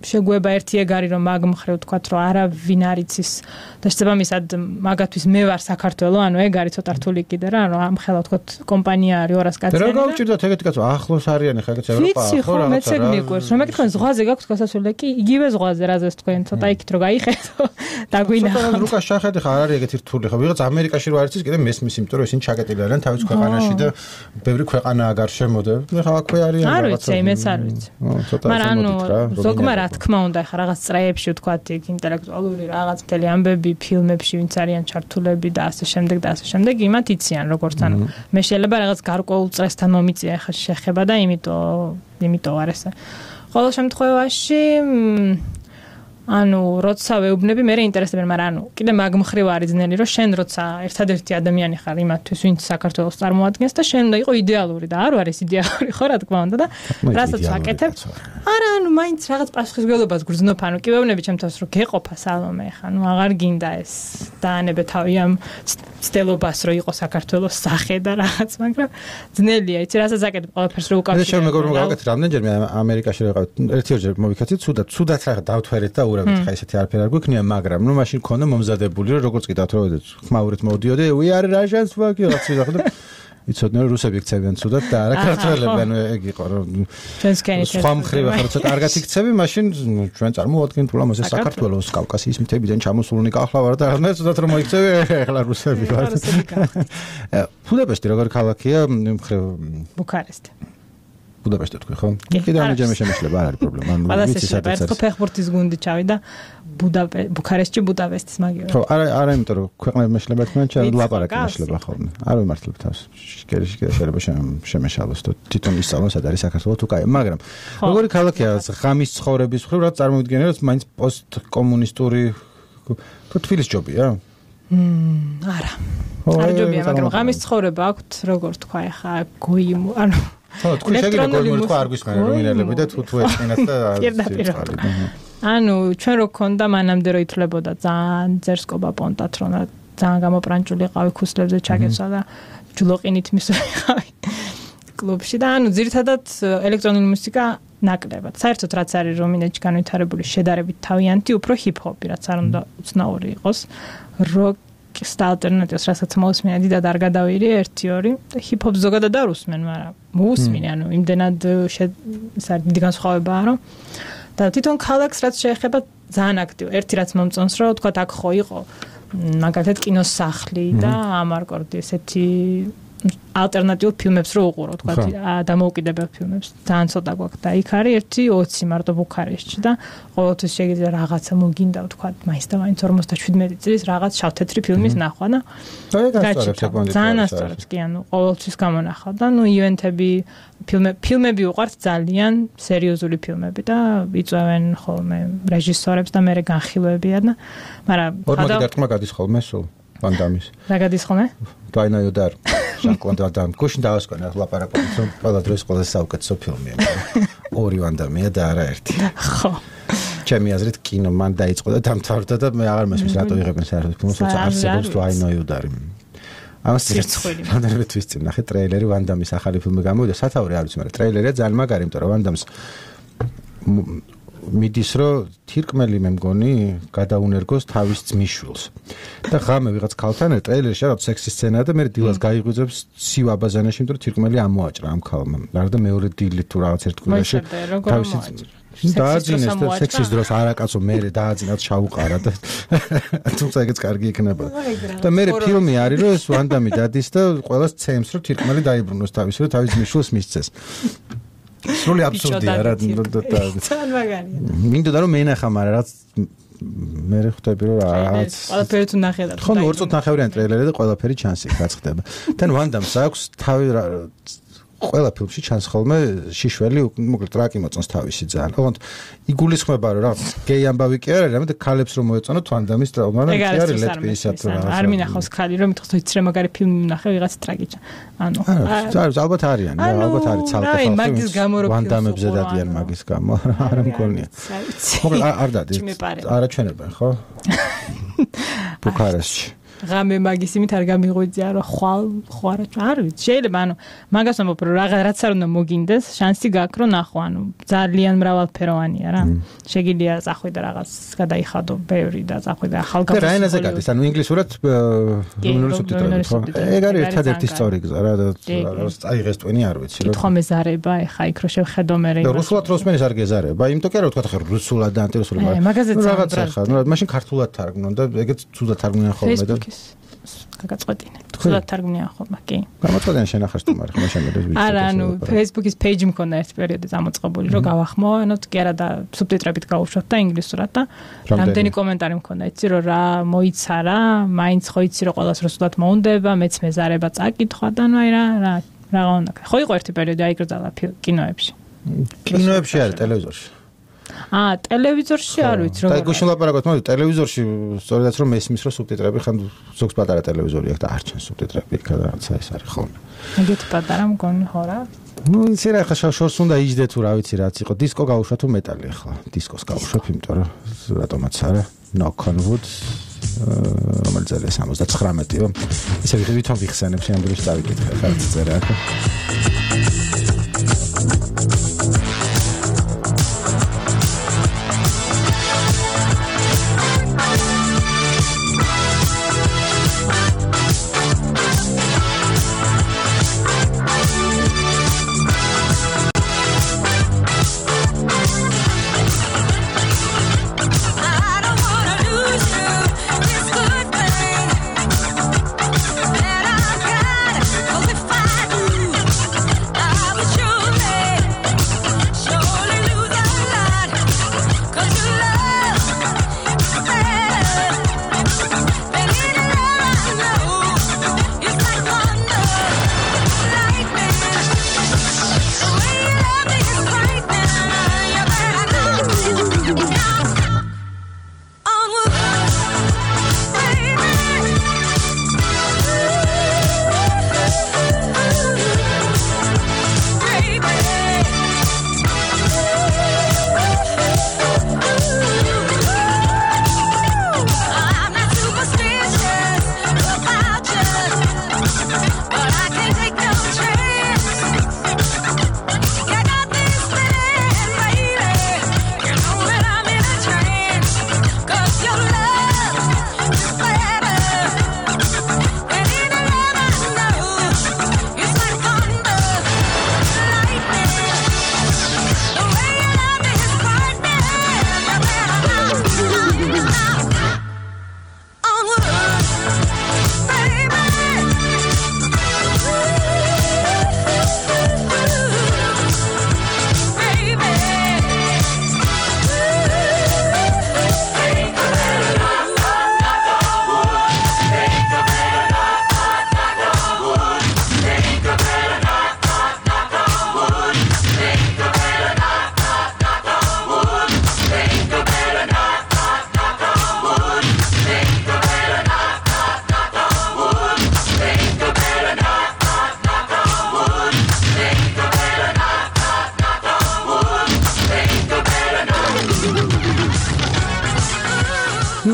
შეგვება ერთი ეგარი რომ მაგ მხრივ თქვათ რომ არავინ არ იცის და შესაბამისად მაგათთვის მე ვარ საქართველო ანუ ეგ არის ცოტა რთული კიდე რა ანუ ამ ხელა თქვათ კომპანია არის ორას კაცი და რა გავჭირდათ ეგეთი კაცო ახლოს არიანი ხა ეგეც ევროპა ხო რა მეც ეგ მიყვარს რომ მეკითხონ ზღვაზე გაქვს გასასვლელი და კი იგივე ზღვაზე რაზეც თქვენ ცოტა იქით რო გაიხედო დაგვინა ცოტა რუკას შახედე ხა არ არის ეგეთი რთული ხა ვიღაც ამერიკაში რო არის კიდე მესმის იმიტომ რომ ისინი ჩაკეტილი არიან თავის ქვეყანაში და ბევრი ქვეყანა აგარ შემოდე ხა აქვე არიან რაღაცა არ ვიცი მეც არ ვიცი მაგრამ ანუ ზოგმა რა თქმა უნდა ხა რაღაც წრეებში ვთქვათ იქ ინტელექტუალური რაღაც მთელი ამბები ფილმებში ვინც არიან ჩართულები და ასე შემდეგ და ასე შემდეგ იმათ იციან როგორც ანუ მე შეიძლება რაღაც გარკვეულ წრესთან მომიწია ხა შეხება და იმიტომ იმიტომ არ ესე ყოველ შემთხვევაში ანუ როცა ვეუბნები მე რეინტერესებენ მაგრამ ანუ კიდე მაგ მხრივ არის ძნელი რომ შენ როცა ერთადერთი ადამიანი ხარ იმათთვის ვინც საქართველოს წარმოადგენს და შენ უნდა იყო იდეალური და არ არის იდეალური ხო რა თქმა უნდა და რასაც ვაკეთებ არა ანუ მაინც რაღაც პასუხისმგებლობას გრძნობ ანუ კი ვეუბნები ჩემთავს რომ გეყოფა სალომე ხა ნუ აღარ გინდა ეს დაანებე თავი ამ ცდელობას რომ იყო საქართველოს სახე და რაღაც მაგრამ ძნელია იცი რასაც აკეთებ ყველაფერს რო უკავშირებ შენ მეგობრებო გავაკეთე რამდენჯერმე ამერიკაში რა ვიყავით ერთიორჯერ მოვიქაცით ცუდად ცუდად რა დავთვერეთ და ურავით ხა ესეთი არაფერი არ გვექნია მაგრამ ნუ მაშინ ქონდა მომზადებული რომ როგორც კიდევ თორედ ხმაურით მოვდიოდე we are russians fuck you რაც ვიღახდა იცოდნენ რომ რუსები იქცევიან ცუდად და არა ქართველები ანუ ეგ იყო რომ ჩვენს კენით სხვა მხრივ ახლა ცოტა კარგად იქცევი მაშინ ჩვენ წარმოვადგენთ ულამაზეს საქართველოს კავკასიის მთებიდან ჩამოსულნი კახლა ვარ და მე ცუდად რომ მოიქცევი ახლა რუსები ვარ ბუდაპეშტი როგორი ქალაქია მხრივ ბუქარესტი ბუდაპეშტი თქვი ხო? კიდე ამჯერმე შემეშლება არ არის პრობლემა. ანუ ვიცი სადაც არის. ფეხბურთის გუნდი ჩავიდა ბუდაპეშტი, ბუქარესტი, ბუდაპეშტის მაგივრად. ხო, არა, არა, იმიტომ რომ ქვეყნები მეშლება თქვენ ჩვენ ლაპარაკი მეშლება ხოლმე. არ ვიმართლებ თავს. შეკერში კიდე შეიძლება შემეშალოს და თვითონ ისწავლონ სად არის საქართველო თუ კაი, მაგრამ როგორი ქალაქია ღამის ცხოვრების მხრივ რა წარმოვიდგენე რომ მაინც პოსტკომუნისტური თუ თბილისში ჯობია? მმ, არა. არ ჯობია, მაგრამ ღამის ცხოვრება აქვთ, როგორ თქვა ახლა გოიმ, ანუ ხო, თქვი შეგიძლია გოიმური თქვა არ გვისმენე რომ ინელები და თუ თუ ეწინათ და ანუ ჩვენ რო ქონდა მანამდე რო ითვლებოდა ძალიან ძერსკობა პონტად რომ ძალიან გამოპრანჭული ყავი ქუსლებზე ჩაგეცვა და ჯულოყინით მისვიყავი კლუბში და ანუ ძირითადად ელექტრონული მუსიკა ნაკლებად. საერთოდ რაც არის რომინეთში განვითარებული შედარებით თავიანთი უფრო ჰიპ-ჰოპი რაც არ უნდა უცნაური იყოს როკ და ალტერნატივს რასაც მოусმინე დიდად არ გადავირი ერთი ორი და ჰიპ-ჰოპ ზოგადად არ უსმენ, მაგრამ მოусმინე, ანუ იმდენად ეს არის დიდი განსხვავებაა, რომ და თვითონ ქალაქს რაც შეეხება ძალიან აქტივ. ერთი რაც მომწონს, რომ თქვა აქ ხო იყო მაგალითად კინოს სახლი და ამარკორდი ესეთი ალტერნატიულ ფილმებს რო უყურო, თქვა დამოუკიდებელ ფილმებს. ძალიან ცოტა გვაქვს და იქ არის ერთი ოცი მარტო ბუქარესტში და ყოველთვის შეიძლება რაღაცა მოგინდა, თქვა მაინც და მაინც ორმოცდაშვიდმეტი წლის რაღაც შავ-თეთრი ფილმის ნახვა და ძალიან ასწორებს კი, ანუ ყოველთვის გამონახავ და ნუ ივენთები ფილმები ფილმები უყვართ ძალიან სერიოზული ფილმები და იწვევენ ხოლმე რეჟისორებს და მე განხილვებიან და მაგრამ ორმოდი დარტყმა გადის ხოლმე სულ ვანდამის რა გადის ხოლმე დაინაიოდარ ჟან-კლოდ ვან დამ გუშინ დავასკვნა ლაპარაკობთ რომ ყველა დროს ყველა საუკეთესო ფილმია ორი ვანდამია და არა ერთი ხო ჩემი აზრით კინო მან დაიწყო და დამთავრდა და მე აღარ მესმის რატო იღებენ საერთოდ ფილმს როცა არსებობს თუ აინაიოდარი ამას რამდენიმე თვის წინ ნახე ტრეილერი ვან დამის ახალი ფილმი გამოვიდა სათაური არ ვიცი მაგრამ ტრეილერია ძალიან მაგარი იმიტომ რომ ვან დამს მიდის რომ თირკმელი მე მგონი გადაუნერგოს თავის ძმისშვილს და ღამე ვიღაც ქალთან ტრეილერში რაღაც სექსი სცენაა და მე დილას გაიღვიძებს სივა აბაზანაში იმიტომ რომ თირკმელი ამოაჭრა ამ ქალმა არა და მეორე დილით თუ რაღაც ერთგულაში თავისი დააძინეს და სექსის დროს არაკაცო მე დააძინათ ჩაუყარა და თუმცა ეგეც კარგი იქნება და მე ფილმი არის რომ ეს ვან დამი დადის და ყველას ცემს რომ თირკმელი დაიბრუნოს თავის რომ თავის ძმისშვილს მისცეს სრული აბსურდია რა ძალიან მაგარია მინდოდა რომ მენახა მაგრამ რაც მე ხვდები რომ რაღაც ყველაფერი თუ ნახე და ხო ორ წუთი ნახევრიანი ტრეილერი და ყველაფერი ჩანს იქ რაც ხდება თან ვან დამს აქვს თავი ყველა ფილმში ჩანს ხოლმე შიშველი მოკლედ ტრაკი მოწონს თავისი ძალიან ოღონდ იგულისხმება რომ რაღაც გეი ამბავი კი არა რამე და ქალებს რომ მოეწონოთ ვან დამის ტრაუმა და კი არის ლეტბისად რა არ მინახავს ქალი რომ მითხოს იცი რა მაგარი ფილმი ნახე ვიღაც ტრაკი ანუ არა ალბათ არიან ალბათ არის ცალკე ხალხი ვან დამებზე დადიან მაგის გამო არა მგონია მოკლედ არ დადი არაჩვენებენ ხო ბუქარესტში ღამე მაგის იმით არ გამიღვიძია რომ ხვალ ხوارა არ ვიცი შეიძლება ანუ მაგას ამბობ რომ რაღაც არ უნდა მოგინდეს შანსი გაქვს რომ ნახო ანუ ძალიან მრავალფეროვანია რა შეგიძლია წახვი და რაღაც გადაიხადო ბევრი და წახვი და ახალგაზრდა და რა ენაზე გადის ანუ ინგლისურად რუმინული სუბტიტრები ხო ეგ არის ერთადერთი სწორი გზა რა და წაიღეს ტვინი არ ვიცი რომ თქო მეზარება ეხა იქ რო შევხედო მე და რუსულად როსმენის არ გეზარება იმიტომ კი რა ვთქვა ხა რუსულად და ანტირუსულად რაღაც ხა ნუ მაშინ ქართულად თარგმნონ და ეგეც თუდად თარგმნიან ხოლმე და გაგაწყვეტინე. თულად თარგმნია ხოლმე, კი. გამოწყვეტენ შენახარს თუ მაგრამ მაშინ მე ვიცი. არა, ანუ Facebook-ის page მქონდა ერთ პერიოდი წამოწყებული, რომ გავახმო, ანუ კი არა და სუბტიტრებით გავუშვათ და ინგლისურად და რამდენი კომენტარი მქონდა, იცი რომ რა მოიცარა, მაინც ხო იცი რომ ყველას რუსულად მოუნდება, მეც მეზარება წაკითხვა და ნუ აი რა რა რა უნდა. ხო იყო ერთი პერიოდი აიგრძალა კინოებში. კინოებში არა, ტელევიზორში. აა ტელევიზორში არ ვიცი როგორ. და გუშინ ლაპარაკობთ, მაგრამ ტელევიზორში სწორედაც რომ მესმის რომ სუბტიტრები ხან ზოგს პატარა ტელევიზორი აქვს და არ ჩანს სუბტიტრები იქა და რაცა ეს არის ხოლმე. ეგეთი პატარა მგონი ხო რა? ნუ ისე რა ხა შორს უნდა იჯდე თუ რა ვიცი რაც იყო. დისკო გავუშვა თუ მეტალი ახლა. დისკოს გავუშვებ, იმიტომ რომ რატომაც არა. Knock on wood. რომელიც არის სამოცდათხრამეტიო. ისე ვითომ ვიხსენებ შემდგომში დავიკითხე ხა წერა ახლა.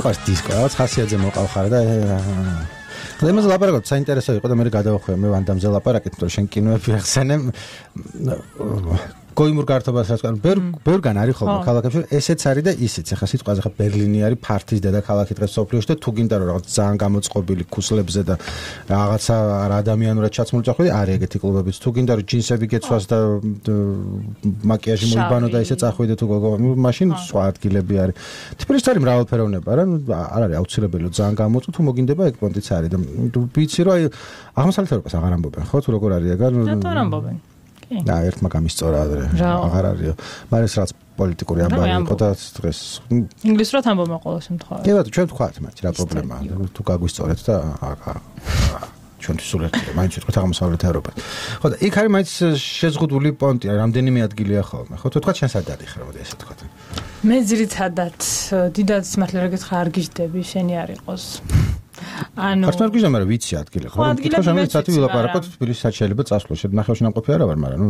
ხას დისკო რაღაც ხასიათზე მოყავხარ და იმაზე ლაპარაკობთ, საინტერესო იყო და მე გადავახვევ მე ვანდამზე ლაპარაკით, თორე შენ კინოები ახსენე. გოიმურ გართობას რაც კან ბევრ ბევრგან არის ხოლმე ქალაქებში ესეც არის და ისიც ახლა სიტყვაზე ხა ბერლინი არის ფართის დედაქალაქი დღეს სოფლიოში და თუ გინდა რომ რაღაც ძალიან გამოწყობილი ქუსლებზე და რაღაცა ადამიანურად ჩაცმული წახვიდე არის ეგეთი კლუბებიც თუ გინდა რომ ჯინსები გეცვას და მაკიაჟი მოიბანო და ისე წახვიდე თუ გოგო მაშინ სხვა ადგილები არის თბილისში არის მრავალფეროვნება რა არ არის აუცილებელი ძალიან გამოწვო თუ მოგინდება ეგ პონტიც არის და ვიცი რომ აი აღმოსავლეთ ევროპას აღარ ამბობენ ხო თუ როგორ არის ეგ რატო არ ამბობენ და ერთმა გამისწორა ადრე აღარ არისო მაგრამ ეს რაც პოლიტიკური ამბავი იყო და დღეს ინგლისურად ამბობენ ყოველ შემთხვევაში კი ბატონო ჩვენ ვთქვათ მათ რა პრობლემაა თუ გაგვისწორეთ და ჩვენ სულ ერთია მაინც ვთქვათ აღმოსავლეთ ევროპას ხო და იქ არის მაინც შეზღუდული პონტი რამდენიმე ადგილია ხოლმე ხო თუ თქვა ჩვენ სად დადიხარ მოდი ესე ვთქვათ მე ძირითადად დიდად მართლა რა გითხრა არ გიждები შენი არ იყოს ანუ ხარ გიჟდა მაგრამ ვიცი ადგილი ხო თქო შემიძლია სათი ვილაპარაკოთ თბილისში სად შეიძლება წასვლა შედნახევში ნამყოფი არა ვარ მაგრამ ნუ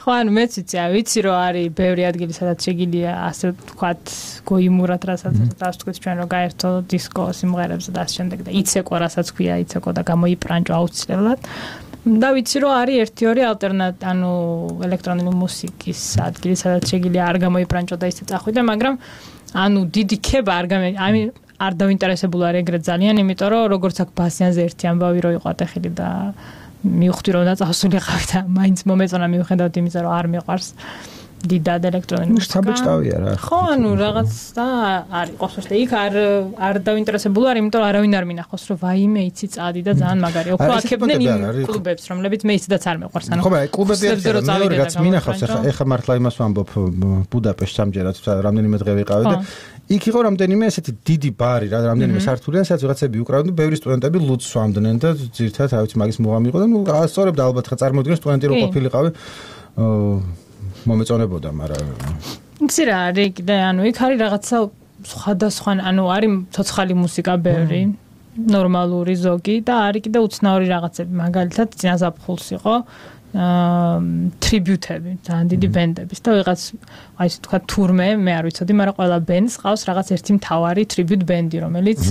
ხო ანუ მეც ვიცი ა ვიცი რომ არის ბევრი ადგილი სადაც შეგიძლია ასე ვთქვათ გოიმურად რასაც ასე ვთქვით ჩვენ რომ გაერთო დისკო სიმღერებზე და ასე შემდეგ და იცეკო რასაც ქვია იცეკო და გამოიპრანჭო აუცილებლად და ვიცი რომ არის ერთი ორი ალტერნატ ანუ ელექტრონული მუსიკის ადგილი სადაც შეგიძლია არ გამოიპრანჭო და ისე წახვიდე მაგრამ ანუ დიდი ქება არ გამე აი არ დავინტერესებული არ ეგრეთ ძალიან, იმიტომ რომ როგორც აქ ბასიანზე ერთი ამბავი რო იყო ატეხილი და მივხვდი რომ დაწასულიყავი და მაინც მომეწონა მივხედავთ იმისა რომ არ მიყვარს დიდად ელექტრონული მუსიკა. საბჭოავია რა. ხო, ანუ რაღაც და არის qosvos და იქ არ არ დავინტერესებული არ, იმიტომ რომ არავინ არ მინახავს რომ ვაიმე იცი წადი და ძალიან მაგარია. უფრო აქებდნენ იმ კლუბებს, რომლებიც მე ისედაც არ მეყვარს. ანუ ხო, აი კლუბები მეორე რაც მინახავს, ეხა ეხა მართლა იმას ვამბობ ბუდაპეშტს სამჯერად რამდენიმე დღე ვიყავი და იქ იყო რამდენიმე ესეთი დიდი ბარი რა რამდენიმე სართულიან სადაც ვიღაცები უკრავდნენ ბევრი სტუდენტები ლუდს სვამდნენ და ძირთად რა ვიცი მაგის მუღამი იყო და ნუ ასწორებდა ალბათ ხა წარმოვიდგინე სტუდენტი რო ყოფილიყავი მომეწონებოდა მაგრამ იცი რა არის კიდე ანუ იქ არის რაღაცა სხვადასხვა ანუ არის ცოცხალი მუსიკა ბევრი ნორმალური ზოგი და არის კიდე უცნაური რაღაცები მაგალითად წინაზაფხულს იყო ტრიბიუტები, ძალიან დიდი ბენდების და ვიღაც აი ესე თქვა თურმე, მე არ ვიცოდი, მაგრამ ყველა ბენდს ყავს რაღაც ერთი მთავარი ტრიბიუტ ბენდი, რომელიც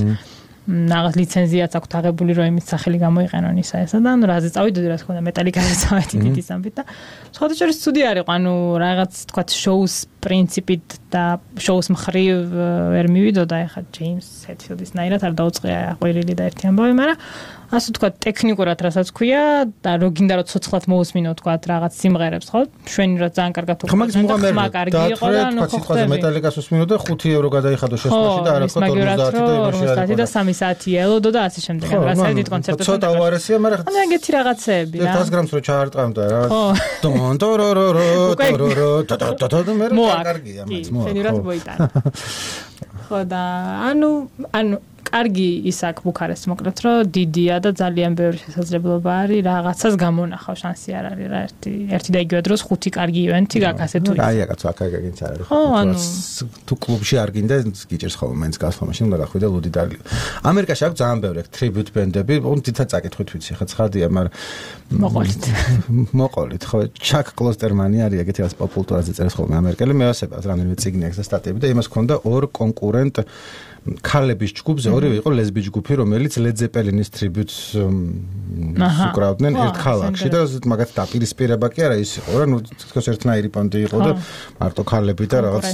რაღაც ლიცენზიაც აქვს აღებული, რომ იმის სახელი გამოიყენონ ისა ესა და ანუ რაზე წავიდოდი, რა თქმა უნდა, მეტალიკაზე წავედი დიდი სამბით და სხვადასხვა სტუდია არის, ანუ რაღაც თქვა შოუს პრინციპით და შოუს მხრივ ვერ მივიდოდა ეხა ჯეიმს ჰეტფილდის ნაირად არ დაუწყია ყვირილი და ერთი ამბავი, მაგრამ ასე თქვა ტექნიკურად რასაც ქვია და რო გინდა რომ ცოცხლად მოусმინო თქვა რაღაც სიმღერებს ხო შვენი რა ძალიან კარგად უყურებთ ხმა კარგი იყო და ანუ ხო ხდება მეტალიკას უსმინო და ხუთი ევრო გადაიხადო შესწრაფში და არაფერ ორმოცდაათი და იმაში არის და სამი საათი ელოდო და ასე შემდეგ რასაც დიდ კონცერტებს ცოტა უარესია მაგრამ ანუ ეგეთი რაღაცეები რა დას გრამს რო ჩაარტყამდა რა დონ ტორორორო ტორორო ტატატატა მე რა კარგია მეც მოა შენირად მოიტანა ხო და ანუ ანუ კარგი ის აქ ბუქარესტს მოკლედ რომ დიდია და ძალიან ბევრი შესაძლებლობა არის რაღაცას გამონახავ შანსი არ არის რა ერთი ერთი და იგივე დროს ხუთი კარგი ივენთი გაქვს ასე თუ აი აკაც აქ აგინც არის ხო თუ კლუბში არ გინდა გიჭერს ხოლმე მენს გასვლა მაშინ უნდა გახვიდე ლუდი და ამერიკაში აქვს ძალიან ბევრი ტრიბიუტ ბენდები უნდა თითქოს წაკითხვით ვიცი ხა ცხადია მაგრამ მოყოლით მოყოლით ხო ჩაკ კლოსტერმანი არის ეგეთი რაც პოპულტურაზე წერს ხოლმე ამერიკელი მეოსებას რამდენიმე წიგნი აქვს და სტატიები და იმას ქონდა ორ კონკურენტ ქალების ჯგუფზე ორივე იყო ლესბი ჯგუფი რომელიც ლედ ზეპელინის ტრიბიუტს უკრავდნენ ერთ ქალაქში და მაგათ დაპირისპირება კი არა ის იყო რა ნუ თქოს ერთნაირი პონტი იყო და მარტო ქალები და რაღაც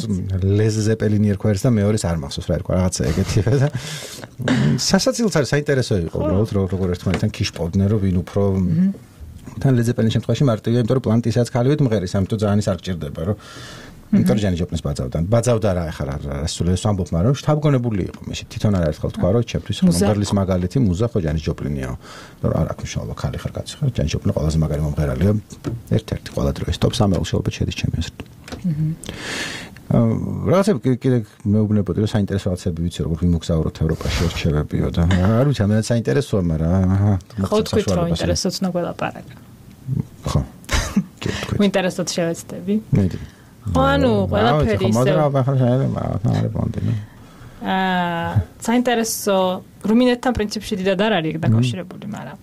ლედ ზეპელინი ერქვა და მეორეს არ მახსოვს რა ერქვა რაღაცა ეგეთია და სასაცილოც არის საინტერესო იყო უბრალოდ როგორ ერთმანეთთან ქიშპოდნენ რომ ვინ უფრო თან ლედ ზეპელინის შემთხვევაში მარტივია იმიტომ რომ პლანტი ისაც ქალივით მღერის ამიტომ ძალიან ის არ გჭირდება რომ იმიტომ ჯანი ჯოპნის ბაძავდა. ბაძავდა რა ახლა რა სულ ეს ვამბობ, მაგრამ შთაბგონებული იყო. მე თვითონ არ ერთხელ თქვა რომ ჩემთვის მომღერლის მაგალითი მუზა ხო ჯანი ჯოპლინია. რომ არ აქვს მშობა ხალი ხარ კაცი ხარ. ჯანი ჯოპლინი ყველაზე მაგარი მომღერალია. ერთ-ერთი ყველა დროის ტოპ სამეულში ალბათ შედის ჩემი აზრით. აა რაღაცები კიდე მეუბნებოდი რომ საინტერესო რაღაცები ვიცი როგორ ვიმოგზაუროთ ევროპაში რჩევებიო და არ ვიცი ამერად საინტერესოა, მაგრამ აჰა. ხო თქვით რომ ინტერესოც ნაგველაპარაკ. ხო. ინტერესოც შევეცდები. მედი ხო ანუ ყველაფერი ისე აა საინტერესო რუმინეთთან პრინციპში დიდად არ არის დაკავშირებული, მაგრამ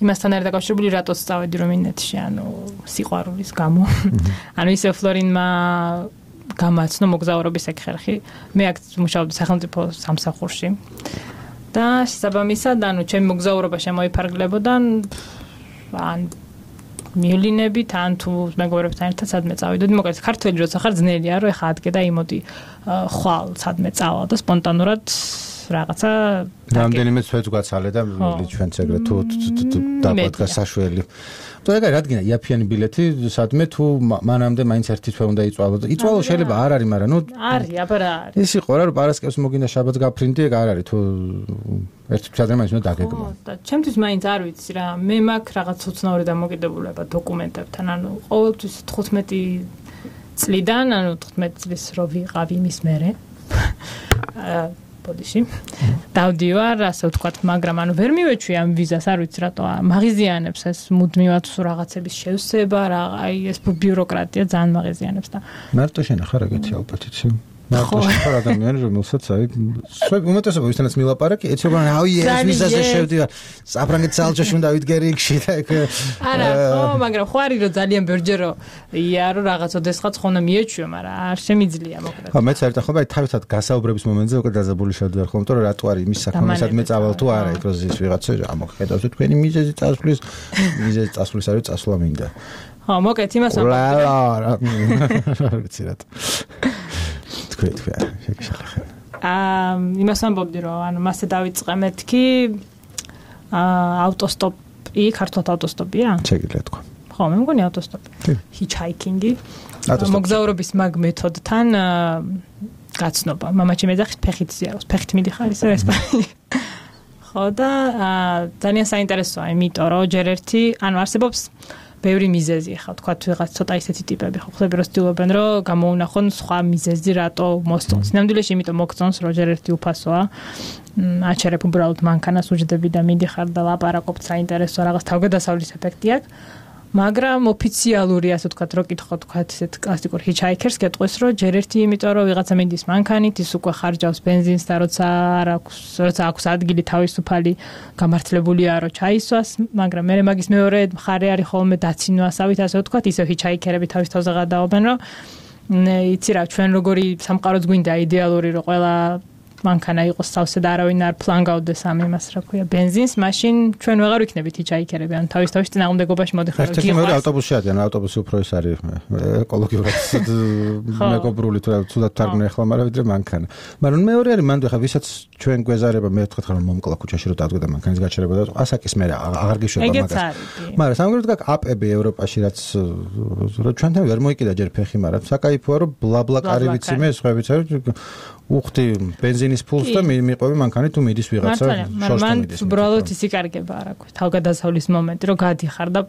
იმასთან არის დაკავშირებული რატოს წავედი რუმინეთში, ანუ სიყვარულის გამო. ანუ ისე ფლორინმა გამაცნო მოგზაურობის ეხერხი. მე აქ მუშაობდი სახელმწიფო სამსახურში. და შესაბამისად, ანუ ჩემი მოგზაურობა შემოიფარგლებოდა ან მილინებით ან თუ მეგობრებთან ერთად სადმე წავიდოდი. მოკლედ ქართველი როცა ხარ ძნელია რომ ეხა ადგე და იმოდი ხვალ სადმე წავალ და სპონტანურად რაღაცა რამდენიმე თვეც გვაცალე და ჩვენც ეგრე თუ დაბადგა საშველი. თუ ეგ რადგან იაფიანი ბილეთი სადმე თუ მანამდე მაინც ერთი თვე უნდა იწვალო და იწვალო შეიძლება არ არის, მაგრამ ნუ არის, აბა რა არის. ის იყო რა რომ პარასკევს მოგინდა შაბათს გაფრინდი, ეგ არ არის თუ ერთი თვე მაინც უნდა დაგეგმო. და ჩემთვის მაინც არ ვიცი რა, მე მაქვს რაღაც უცნაური დამოკიდებულება დოკუმენტებთან, ანუ ყოველთვის თხუთმეტი წლიდან, ანუ თხუთმეტი წლის რო ვიყავ იმის მერე. ბოდიში. დავდივარ, ასე ვთქვათ, მაგრამ ანუ ვერ მივეჩვი ამ ვიზას, არ ვიცი რატო მაღიზიანებს ეს მუდმივად რაღაცების შევსება, რა, აი ეს ბიუროკრატია ძალიან მაღიზიანებს და მარტო შენ ახლა რაგეთი ალბათ იცი? მარტო შენ ადამიანი რომელსაც აი სვებ უმეტესობა ვისთანაც მილაპარაკი, ეცი რომ აი ეს ვიზაზე შევდივარ, საფრანგეთის ალჯაში უნდა ვიდგერი იქში და ეგ არა, ხო, მაგრამ ხო არის რომ ძალიან ბევრჯერ ია რომ რაღაც ოდესღაც ხონა მიეჩვიო, მაგრამ არ შემიძლია მოკლედ. ხო, მეც საერთოდ ხო, აი თავისად გასაუბრების მომენტზე უკვე დაზაბული შევდივარ ხომ, იმიტომ რომ რატო არის იმის საქმე, სადმე წავალ თუ არა, იქ რო ზის ვიღაცა ამოხედავს თქვენი მიზეზი წასვლის, მიზეზი წასვლის არის წასვლა მინდა. ხო, მოკლედ იმას ვამბობ. რა ვიცი რატო. თქვი თქვი შეგიშალე. აა იმას ამბობდი რომ ანუ მასე დავიწყე მეთქი აა ავტოსტოპი, ქართულად ავტოსტოპია? შეგიძლია თქვა. ხო, მე მგონი ავტოსტოპი. ჰიჩჰაიკინგი. მოგზაურობის მაგ მეთოდთან გაცნობა. მამაჩემი ეძახის ფეხით ზიაროს. ფეხით მიდიხარ ისე ესპანიაში. ხო და ძალიან საინტერესოა, იმიტომ რომ ჯერ ერთი, ანუ არსებობს ბევრი მიზეზი ხა თქვა ვიღაც ცოტა ისეთი ტიპები ხო ხლები რომ ცდილობენ რომ გამოუნახონ სხვა მიზეზი რატო მოსწონს. ნამდვილად იმიტომ მოგწონს რომ ჯერ ერთი უფასოა. აჩერებ უბრალოდ მანქანას უჯდები და მიდიხარ და ლაპარაკობ საინტერესო რაღაც თავგადასავლის ეფექტი აქვს. მაგრამ ოფიციალური ასე ვთქვათ რო კითხო თქვათ ესეთ კლასიკურ ჰიჩჰაიკერს გეტყვის რომ ჯერ ერთი იმიტომ რომ ვიღაცა მიდის მანქანით ის უკვე ხარჯავს ბენზინს და როცა არ აქვს როცა აქვს ადგილი თავისუფალი გამართლებულია რომ ჩაისვას, მაგრამ მე მაგის მეორე მხარე არის ხოლმე დაცინვასავით ასე ვთქვათ, ისევ ჰიჩჰაიკერები თავის თავზე გადაობენ რომ იცი რა ჩვენ როგორი სამყაროც გვინდა იდეალური რომ ყველა მანქანა იყოს სავსე და არავინ არ ფლანგავდეს ამ იმას რა ქვია ბენზინს, მაშინ ჩვენ ვეღარ ვიქნებით ჰიჩჰაიკერები, ან თავის თავის წინააღმდეგობაში მოდიხარ გიყვარს. ერთ-ერთი ავტობუსი არის, ან ავტობუსი უფრო ის არის ეკოლოგიურად მეგობრული თუ თუდად თარგმნი ახლა, მაგრამ ვიდრე მანქანა. მაგრამ მეორე არის მანდ ხა ვისაც ჩვენ გვეზარება მე ვთქვათ ხარ მომკლა ქუჩაში რომ დადგა და მანქანის გაჩერება და ასაკის მე აღარ გიშვება მაგას. მაგრამ სამაგერად გაკ აპები ევროპაში რაც რომ ჩვენთან ვერ მოიკიდა ჯერ ფეხი, მაგრამ საკაიფოა რომ ბლაბლაკარი ვიცი მე სხვა ვიცი უხდი ბენზინის ფულს და მიყვები მანქანით თუ მიდის ვიღაცა შორს მიდის. უბრალოდ ისი კარგება არ აქვს. თავგადასავლის მომენტი რომ გადიხარ და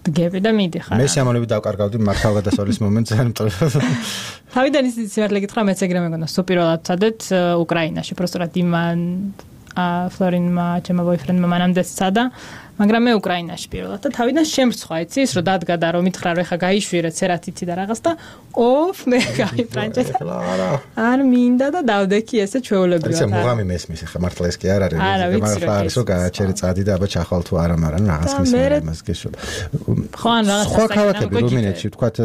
დგები და მიდიხარ. მე სიამოვნებით დავკარგავდი მაგ თავგადასავლის მომენტს, ანუ თავიდან ის სიმართლე გითხრა მეც ეგრე მეგონა სუპირულად სადეთ უკრაინაში, პროსტად იმან ფლორინმა ჩემო ბოიფრენდმა მანამდე სცადა, მაგრამ მე უკრაინაში პირველად და თავიდან შემრცხვა იცი ის რომ დადგა და რომ მითხრა რომ ეხა გაიშვირე ცერათიცი და რაღაც და ოფ მე გაიფრანჭე არ მინდა და დავდექი ესე ჩვეულებრივად. ესე მუღამი მესმის ეხა მართლა ეს კი არ არის, მაგრამ არის რომ გააჩერე წადი და აბა ჩახვალ თუ არა, მაგრამ რაღაც მისმენ იმას გეშო. ხო ან რაღაც სხვა ქალაქები რუმინეთში ვთქვათ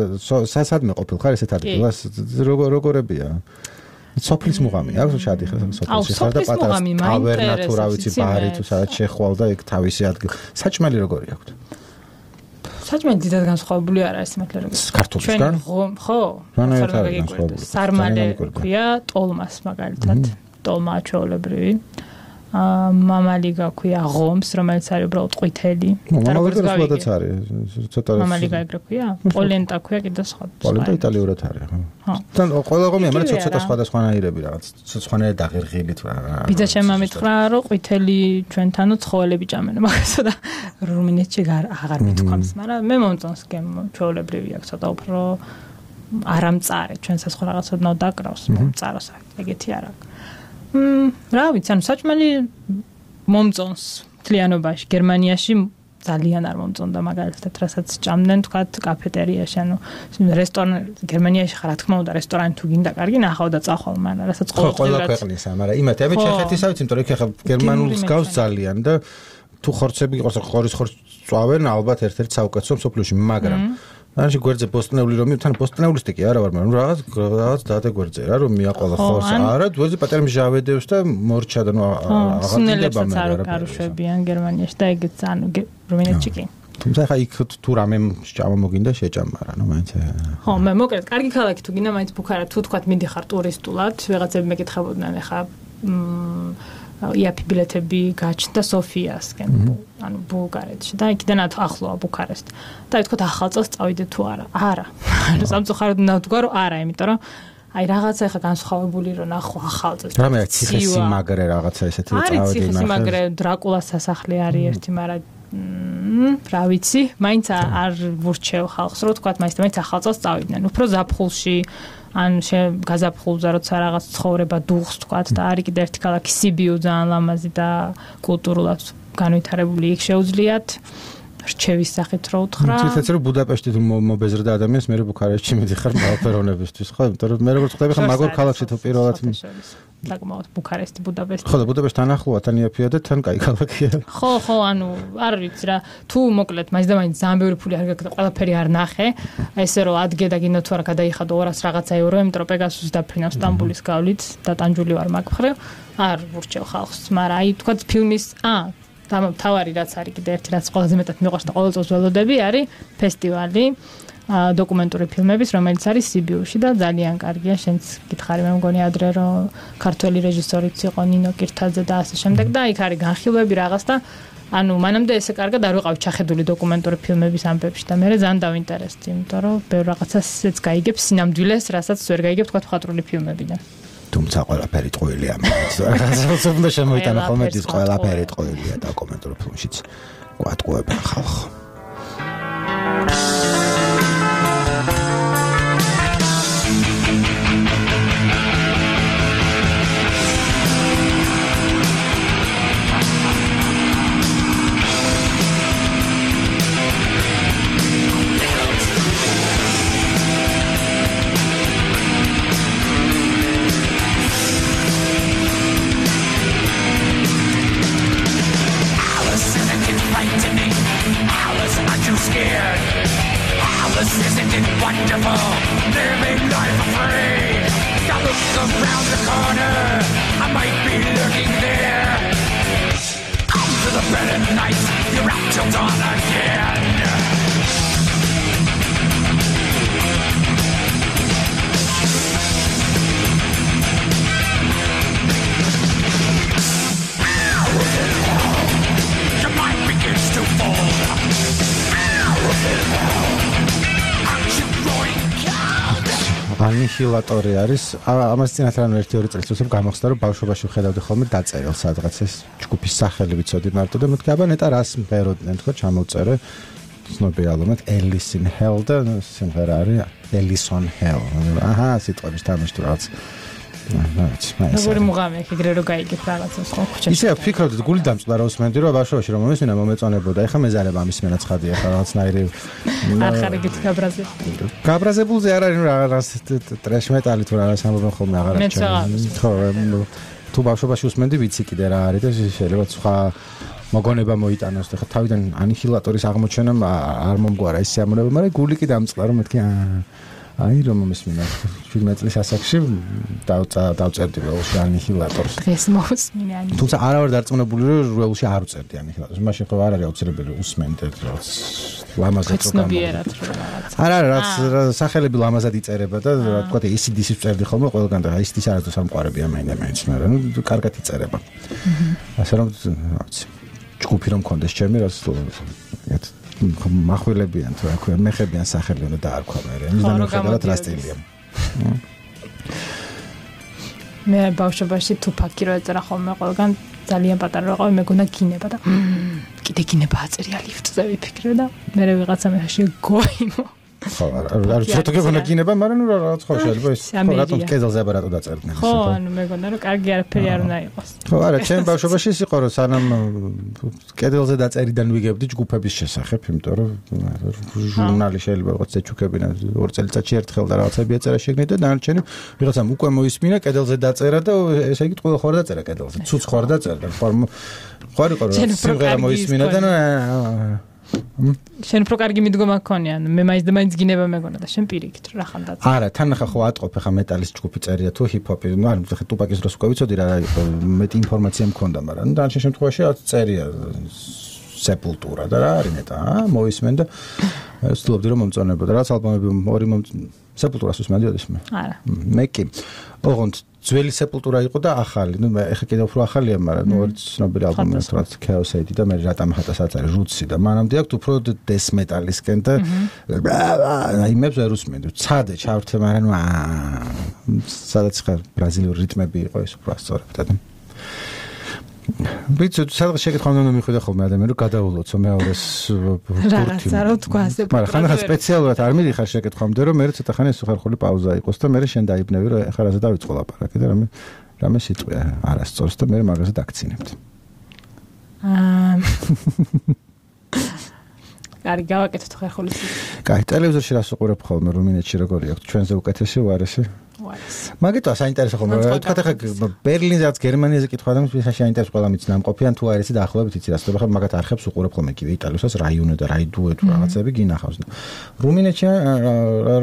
სასადმე ყოფილ ხარ ესეთ ადგილას როგორებია? სოფლის მუღამი აქვს შადი ხარ სოფლში ხარ და პატარა ტავერნა თუ რა ვიცი ბარი თუ სადაც შეხვალ და ეგ თავისი ადგილი. საჭმელი როგორი აქვს? საჭმელი დიდად განსხვავებული არ არის მართლა როგორი. ქართულისგან? ხო. სარმალე ქვია ტოლმას მაგალითად. ტოლმა ჩვეულებრივი. მამალი გაქვია ღომს, რომელიც არის უბრალოდ ყვითელი. მამალი გასვლადაც არის. ცოტა მამალი გაიგრე ქვია? პოლენტა ქვია კიდე სხვა. პოლენტა იტალიურად არის, ხო. თან ყველა ღომია, მაგრამ ცოტა სხვადასხვანაირები რაღაც. სხვანაირად დაღერღილი თუ რა. ბიძა შემამითხრა, რომ ყვითელი ჩვენთანო ცხოველები ჭამენ, მაგასო და რუმინეთში აღარ მithქვამს, მაგრამ მე მომწონს გემ ჩვეულებრივი აქვს ცოტა უფრო არამწარე, ჩვენსაც ხო რაღაცად ნო დაკრავს, მომწაროს ეგეთი არ აქვს. მ რა ვიცი, ანუ საჭმელი მომწონს მთლიანობაში. გერმანიაში ძალიან არ მომწონდა მაგალითად, რასაც ჭამდნენ თქვათ კაფეტერიაში, ანუ რესტორან გერმანიაში ხარ, რა თქმა უნდა, რესტორანი თუ გინდა კარგი ნახავ და წახვალ, მაგრამ რასაც ყოველდღიურად ყველა ქვეყნისა, მაგრამ იმათი ამით ჩეხეთისა ვიცი, იმიტომ რომ იქ ახლა გერმანულს გავს ძალიან და თუ ხორცები იყოს, ხორის ხორცს წვავენ ალბათ ერთ-ერთ საუკეთესო მსოფლიოში, მაგრამ მაშინ გვერდზე პოსტნეული რომ თან პოსტნეულისტი კი არა ვარ, მაგრამ რაღაც რაღაც დადა გვერდზე რა რომ მიაყოლა ხორს. არა, გვერდზე პატარა მჟავედევს და მორჩა და ნუ აღარ აღარ გარუშვებიან გერმანიაში და ეგეც ანუ რუმინეთში კი. თუმცა ხა იქ თუ რამე შეჭამა მოგინდა შეჭამა რა, ნუ მაინც. ხო, მე მოკლედ კარგი ქალაქი თუ გინდა მაინც ბუქარა თუ თქვა მიდიხარ ტურისტულად, ვიღაცები მეკითხებოდნენ ხა იაფი ბილეთები გაჩნდა სოფიასკენ, ანუ ბულგარეთში და იქიდან ახლოა ბუქარესტი. და ითქვა ახალ წელს წავიდე თუ არა? არა. ანუ სამწუხაროდ ნავთქვა რომ არა, იმიტომ რომ აი რაღაცა ხა განსხვავებული რომ ნახო ახალ წელს. რამე ციხესიმაგრე რაღაცა ესეთი წავედი არის ციხესიმაგრე, დრაკულას სასახლე არის ერთი, მაგრამ რა ვიცი, მაინც არ ვურჩევ ხალხს, რომ თქვა მაინც მაინც ახალ წელს წავიდნენ. უფრო ზაფხულში ან გაზაფხულზე როცა რაღაც ცხოვრება დუღს თქვათ და არის კიდე ერთი ქალაქი სიბიუ ძალიან ლამაზი და კულტურულად განვითარებული იქ შეუძლიათ რჩევის სახით რო უთხრა. ცეცე რომ ბუდაპეშტი თუ მობეზრდა ადამიანს მე ბუქარესტში მიდიხარ მალფერონებისთვის, ხო? იმიტომ რომ მე როგორც ხვდები ხა მაგორ ქალაქში თუ პირველად საკმაოდ ბუქარესტი ბუდაპეშტი. ხო და ბუდაპეშტი თან ახლოა, თან იაფია და თან კაი ქალაქია. ხო, ხო, ანუ არ ვიცი რა. თუ მოკლედ მაინც და მაინც ძალიან ბევრი ფული არ გაკეთე, ყველაფერი არ ნახე. ესე რომ ადგე და გინდა თუ არა გადაიხადო ორას რაღაცა ევრო, იმიტომ რომ პეგასუსს დაფრინავ სტამბულის გავლით და ტანჯული ვარ მაგ მხრივ. არ ვურჩევ ხალხს, მაგრამ აი თქვა ფილმის ა თავარი რაც არის კიდე ერთი რაც ყველაზე მეტად მიყვარს და ყოველ წელს ველოდები არის ფესტივალი დოკუმენტური ფილმების, რომელიც არის სიბიუში და ძალიან კარგია. შენც გითხარი მე მგონი ადრე რომ ქართველი რეჟისორიც იყო ნინო კირთაძე და ასე შემდეგ და იქ არის განხილვები რაღაც და ანუ მანამდე ესე კარგად არ ვიყავი ჩახედული დოკუმენტური ფილმების ამბებში და მე ძალიან დავინტერესდი, იმიტომ რომ ბევრ რაღაცას გაიგებ სინამდვილეს, რასაც ვერ გაიგებ თქვა მხატვრული ფილმებიდან. თუმცა ყველაფერი ტყუილია მაინც. რაღაცა უნდა შემოიტანა ხოლმე ის ყველაფერი ტყუილია დოკუმენტურ ფილმშიც. გვატყუებენ ხალხს. ანიჰილატორი არის. ამას წინათ რანუ ერთი ორი წელს უცებ გამოხსნა რომ ბავშვობაში ვხედავდი ხოლმე დაწერილ სადღაც ეს ჯგუფის სახელი ვიცოდი მარტო და მეთქი აბა ნეტა რას მღეროდნენ თქო ჩამოვწერე ცნობილი ალბომად Alice in Hell და სიმღერა არის Alice on Hell. აჰა სიტყვების თამაში თუ რაღაც როგორი მუღამი აქ ეგრე რო გაიგებ რაღაცას ხო ქუჩაში. ისე ვფიქრობდი გული დამწყდა რა უსმენდი რომ ბავშვობაში რომ მომესმინა მომეწონებოდა. ეხლა მეზარება ამის მენაცხადია ხა რაღაცნაირი არ ხარ ეგეთ გაბრაზებული. გაბრაზებულზე არ არის რაღაც ტრეშ მეტალი თუ რაღაც ამბობენ ხოლმე აღარ არის. ხო თუ ბავშვობაში უსმენდი ვიცი კიდე რა არის და შეიძლება სხვა მოგონება მოიტანოს და ხა თავიდან ანიჰილატორის აღმოჩენა არ მომგვარა ის სიამოვნება, მაგრამ გული კი დამწყდა რომ მეთქი აი რომ მომესმინა შვიდმეტ წლის ასაკში დავწერდი ველში ანიჰილატორს. დღეს მოსმინე ანიჰილატორს. თუმცა არა ვარ დარწმუნებული რომ ველში არ უწერდი ანიჰილატორს. მაშინ ხო არ არის აუცილებელი უსმენდე რაღაც ლამაზად ცნობიერად რაღაც. არა რაც სახელები ლამაზად იწერება და რა თქვა ე სი დი სი წერდი ხოლმე ყველგან და აი ეს ის არასდროს არ მყარებია მაინდა მაინც მაგრამ ნუ კარგად იწერება. ასე რომ რა ვიცი ჯგუფი რომ მქონდეს ჩემი რაც ეგეთ მახვილებიან თუ რა ქვია მეხებიან სახელი უნდა დაარქვა მე იმიდან მიხედავთ რა სტილია. მე ბავშვობაში თუფაკი რო ეწერა ხოლმე ყველგან ძალიან პატარა რო ყავი მეგონა გინება და კიდე გინება აწერია ლიფტზე ვიფიქრე და მე ვიღაცა მეში გოიმო ხო არ ცოტა გეუბნა გინება მაგრამ ნუ რაღაც ხო შეიძლება ის რატომ კედელზე აბარატო დაწერდნენ ხო ანუ მეგონა რომ კარგი არაფერი არ უნდა იყოს ხო არა ჩემ ბავშვობაში ის იყო რომ სანამ კედელზე დაწერიდან ვიგებდი ჯგუფების შესახებ იმიტომ რომ ჟურნალი შეიძლება რაღაც ეჩუქებინა ორ წელიწადში ერთხელ და რაღაცები ეწერა შეგნით და დანარჩენი ვიღაცამ უკვე მოისმინა კედელზე დაწერა და ესე იგი ყველა ხوار დაწერა კედელზე ცუც ხوار დაწერა ხوار ხوار იყო რომ სიმღერა მოისმინა და შენ უფრო კარგი მიდგომა გქონია, მე მაინც და მაინც გინება მეგონა და შენ პირიქით რა ხან და არა, თან ახლა ხო ატყობ ახლა მეტალის ჯგუფი წერია თუ ჰიპ-ჰოპი, ну არა, ახლა ტუპაკის დროს უკვე ვიცოდი რა იყო, მეტი ინფორმაცია მქონდა, მაგრამ ну დანარჩენ შემთხვევაში რაც წერია სეპულტურა და რა არის მეტა, აა მოისმენ და ვცდილობდი რომ მომწონებოდა, რაც ალბომები ორი სეპულტურას უსმენდიოდეს მე. არა. მე კი. ოღონდ ძველი სეპულტურა იყო და ახალი, ну ეხა კიდევ უფრო ახალია, მაგრამ ნუ ორი ცნობილი ალბომი რაც Chaos Aid და მე რატამ ხატასაც არის Roots და მანამდე აქვს უფრო death metal-ისკენ და აიმებს ვერ უსმენდი. ცადე ჩავრთე, მაგრამ ნუ სადაც ხარ ბრაზილიური რიტმები იყო ეს უფრო ასწორებდა და ვიცი, სადღაც შეკითხავ უნდა მიხვიდე ხოლმე ადამიანი რომ გადაულოცო მეორეს ბურთი. რაღაცა რო თქვა ასე. მაგრამ ხანახა სპეციალურად არ მიდიხარ შეკითხვამდე რომ მე ცოტა ხანი სუხარხული პაუზა იყოს და მე შენ დაიბნევი რომ ეხლა რაზე დავიწყო ლაპარაკი და რამე რამე სიტყვია არასწორს და მე მაგაზე დაგცინებთ. აა კარგი, გავაკეთოთ ხერხული სიტყვა. კაი, ტელევიზორში რას უყურებ ხოლმე რუმინეთში როგორი აქვს? ჩვენზე უკეთესი უარესი? უარესი. მაგითო საინტერესო ხოლმე. თქვა ხა ბერლინზე რაც გერმანიაზე კითხვა და მის საინტერესო ყველა მის ნამყოფიან თუ არის და ახლობებით იცი რას ხდება ხა მაგათ არხებს უყურებ ხოლმე კიდე იტალიოსაც რაიონი და რაიდუე თუ რაღაცები გინახავს და რუმინეთში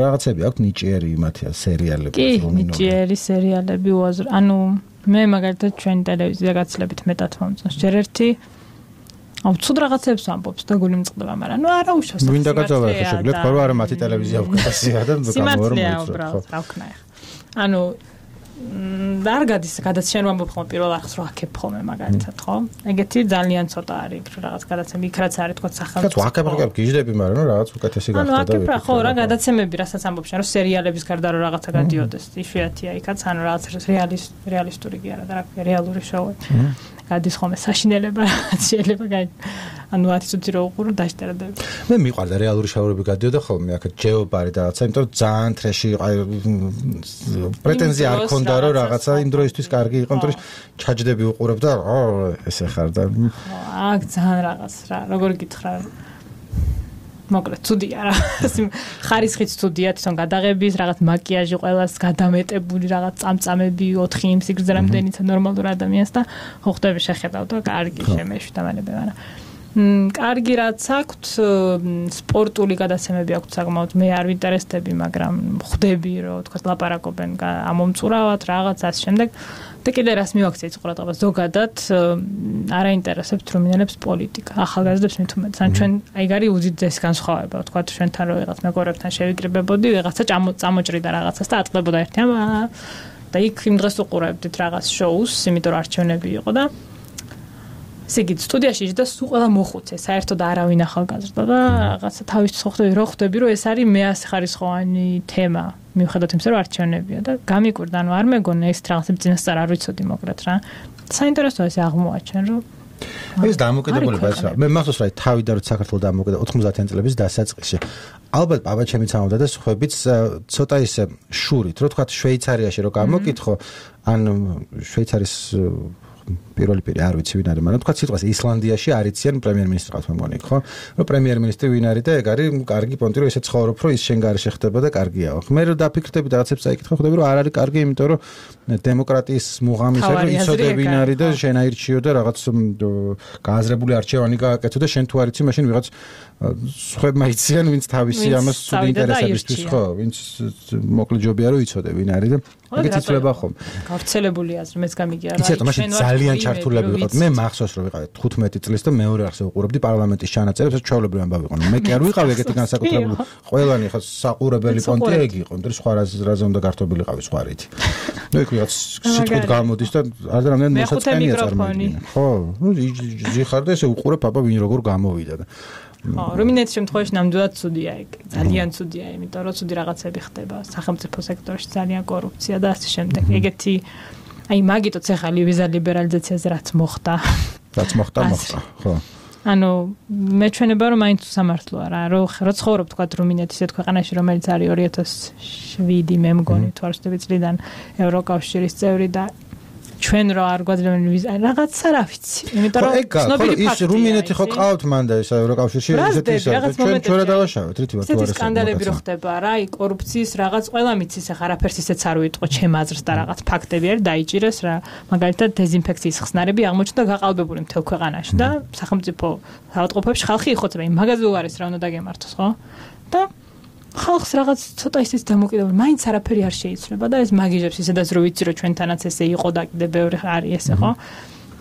რაღაცები აქვს ნიჭიერი მათია სერიალები რუმინული. კი, ნიჭიერი სერიალები უაზრო. ანუ მე მაგალითად ჩვენ ტელევიზია გაცილებით მეტად მომწონს. ჯერ ერთი აუ ცუდ რაღაცებს ამბობს და გული მწყდება, მაგრამ ნუ არა უშავს. ვინდა გაძავა ხა შეგლეთ ხო არა მათი ტელევიზია უკეთესია და გამოვარ მოიწევს. უბრალოდ რა ვქნა ახლა. ანუ და არ გადის გადაცემ ამბობ ხოლმე პირველ არხს რო აქებ ხოლმე მაგალითად ხო? ეგეთი ძალიან ცოტა არის რაღაც გადაცემი, იქ რაც არის თქო სახელმწიფო. კაც აქებ აქებ გიждები, მაგრამ ნუ რაღაც უკეთესი გახდა და ანუ აქებ რა ხო რა გადაცემები რასაც ამბობ შენ რომ სერიალების გარდა რო რაღაცა გადიოდეს, იშვიათია იქაც ანუ რაღაც რეალისტური კი არა და რა რეალური შოუ. გადის ხოლმე საშინელება შეიძლება გაი ანუ ათი წუთი რო უყურო დაშტერდები. მე მიყვარდა რეალური შაურები გადიოდა ხოლმე აქ ჯეობარი და რაღაცა, იმიტომ რომ ძალიან ტრეში პრეტენზია არ ქონდა რომ რაღაცა იმ დროისთვის კარგი იყო, იმიტომ რომ ჩაჯდები უყურებ და ესე ხარ და აქ ძალიან რაღაც რა როგორ გითხრა მოკლედ ცუდია რა ხარისხიც ცუდია თვითონ გადაღების რაღაც მაკიაჟი ყველას გადამეტებული რაღაც წამწამები ოთხი იმ სიგრძე რამდენიც ნორმალურ ადამიანს და ხო ხდები შეხედავ და კარგი შემეშვი და მანები მაგრამ კარგი რაც აქვთ სპორტული გადაცემები აქვთ საკმაოდ მე არ ვინტერესდები მაგრამ ხდები რომ თქვა ლაპარაკობენ ამომწურავად რაღაც ასე შემდეგ და კიდე რას მივაქციეთ ყურადღებას ზოგადად არ აინტერესებთ რუმინელებს პოლიტიკა ახალგაზრდებს მით უმეტეს ან ჩვენ აი გარი უძიძეს განსხვავება თქვა ჩვენთან რო ვიღაც მეგობრებთან შევიკრიბებოდი ვიღაცა წამოჭრიდა რაღაცას და ატყლებოდა ერთი ამ და იქ იმ დღეს უყურებდით რაღაც შოუს იმიტომ რომ არჩევნები იყო და სიგით სტუდიაში და სულ ყველა მოხუცე საერთოდ არავინ ახალგაზრდა და რაღაცა თავის ხვდები რო ხვდები რომ ეს არის მეასე ხარისხოვანი თემა მიუხედავად იმისა რომ არჩევნებია და გამიკვირდა ანუ არ მეგონა ეს რაღაცები წინასწარ არ ვიცოდი მოკლედ რა საინტერესოა ეს აღმოაჩენ რომ ეს დამოკიდებულება ეს რა მე მახსოვს რა თავიდან რომ საქართველოს დამოკიდდა ოთხმოცდაათიანი წლების დასაწყისში ალბათ პაპაჩემიც ამოდა და სხვაებიც ცოტა ისე შურით რო თქვა შვეიცარიაში რო გამოკითხო ან შვეიცარიის პირველი პირი არ ვიცი ვინ არის, მაგრამ თქვა სიტყვას ისლანდიაში არიციან პრემიერ-მინისტრი ყავს მე მგონი, ხო? რომ პრემიერ-მინისტრი ვინ არის და ეგ არის კარგი პონტი, რომ ესე ცხოვრობ, რომ ის შენ გარეშე ხდება და კარგია. მე რომ დაფიქრდები და რაღაცებს წაიკითხე, ხვდები რომ არ არის კარგი, იმიტომ რომ დემოკრატიის მუღამის არის, იცოდე ვინ არის და შენ აირჩიო და რაღაც გააზრებული არჩევანი გააკეთო და შენ თუ არ იცი, მაშინ ვიღაც სხვებმა იციან, ვინც თავისი ამას სულ ინტერესებისთვის, ხო? ვინც მოკლედ ჯობია რომ იცოდე ვინ არის და ეგეც იცლება ხომ. გავრცელებული აზრი მეც გამიგია რა. იცით, მაშინ ძალიან ჩართულები ვიყავთ. მე მახსოვს რომ ვიყავით თხუთმეტი წლის და მეორე არხზე ვუყურებდი პარლამენტის ჩანაწერებს, ეს ჩვეულებრივი ამბავი იყო. მე კი არ ვიყავი ეგეთი განსაკუთრებული. ყველანი ხა საყურებელი პონტი ეგ იყო, იმიტომ რომ სხვა რაზე უნდა გართობილი ყავი სხვა რითი. ნუ იქ ვიღაც სიტყვით გამოდის და არ რამდენი მოსაწყენია წარმოიდგინე. ხო, ნუ ზიხარ და ესე უყურებ აბა ვინ როგორ გამოვიდა და ხო, რუმინეთის შემთხვევაში ნამდვილად ცუდია ეგ. ძალიან ცუდია, იმიტომ რომ ცუდი რაღაცები ხდება სახელმწიფო სექტორში, ძალიან კორუფცია და ასე შემდეგ. ეგეთი აი მაგიტოც ახალი ვიზა ლიბერალიზაციაზე რაც მოხდა. რაც მოხდა, მოხდა, ხო. ანუ მე ჩვენება რომ მაინც სამართლოა რა, რომ რო ცხოვრობ თქვა რუმინეთის ერთ ქვეყანაში, რომელიც არის ორი ათას შვიდი მე მგონი თუ არ ვცდები წლიდან ევროკავშირის წევრი და ჩვენ რა არ გვაძლევენ ვიზა რაღაცა რა ვიცი იმიტომ რომ ცნობილი ფაქტია ის რუმინეთი ხო ყავთ მანდ ეს ევროკავშირში ესეთი ის ჩვენ ჩვენ რა დავაშავეთ რითი ვარ თუ არის სკანდალები რო ხდება რა აი კორუფციის რაღაც ყველა მიცის ახლა არაფერს ისეც არ უიტყო ჩემ აზრს და რაღაც ფაქტები არის დაიჭირეს რა მაგალითად დეზინფექციის ხსნარები აღმოჩნდა გაყალბებული მთელ ქვეყანაში და სახელმწიფო საავადმყოფოებში ხალხი იხოცება იმ მაგაზე უარის რა უნდა დაგემართოს ხო და ხალხს რაღაც ცოტა ისიც დამოკიდებული მაინც არაფერი არ შეიცვლება და ეს მაგიჟებს ისედაც რო ვიცი რომ ჩვენთანაც ესე იყო და კიდე ბევრი არის ესე ხო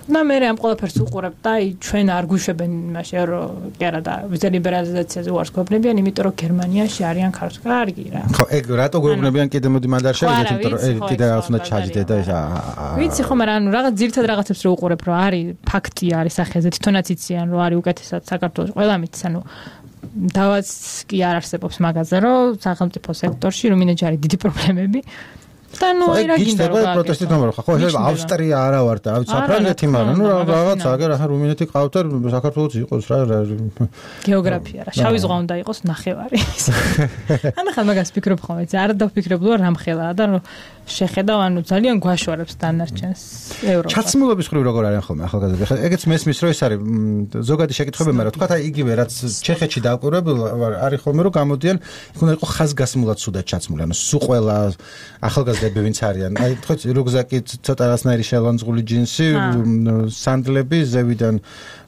და მე ამ ყველაფერს უყურებ და აი ჩვენ არ გვიშვებენ იმაში რომ კი არა და ვიზა ლიბერალიზაციაზე უარს გვეუბნებიან იმიტომ რომ გერმანიაში არიან ქართული კარგი რა ხო ეგ რატო გვეუბნებიან კიდე მოდი მანდ არ შევიდეთ იმიტომ რომ ეგ კიდე რაღაც უნდა ჩაჯდე და ეს ვიცი ხო მაგრამ ანუ რაღაც ძირითად რაღაცებს რო უყურებ რომ არის ფაქტია არის სახეზე თვითონაც იციან რომ არის უკეთესად საქართველოს ყველა მითს ანუ დავაც კი არ არსებობს მაგაზე რომ სახელმწიფო სექტორში რუმინეთში არის დიდი პრობლემები და ნუ აი რა გინდა რომ პროტესტი თამარ ხო შეიძლება ავსტრია არა ვარ და ავიც საფრანგეთი მაგრამ ნუ რაღაც აგერ ახლა რუმინეთი ყავთ და საქართველოს იყოს რა გეოგრაფია რა შავი ზღვა უნდა იყოს ნახევარი ან ახლა მაგას ფიქრობ ხოლმე არ დავფიქრებდი რომ რამხელაა და რომ შეხედავ ანუ ძალიან გვაშორებს დანარჩენს ევროპა ჩაცმულობის ხრივ როგორ არის ხოლმე ახალგაზრდები ხა ეგეც მესმის რომ ეს არის ზოგადი შეკითხები მაგრამ თქვა აი იგივე რაც ჩეხეთში დავკვირვებულ არის ხოლმე რომ გამოდიან იქ უნდა იყოს ხაზგასმულად სუდად ჩაცმული ანუ სულ ყველა ახალგაზრდები ვინც არიან აი თქვა რუგზაკი ცოტა რასნაირი შელანძღული ჯინსი სანდლები ზევიდან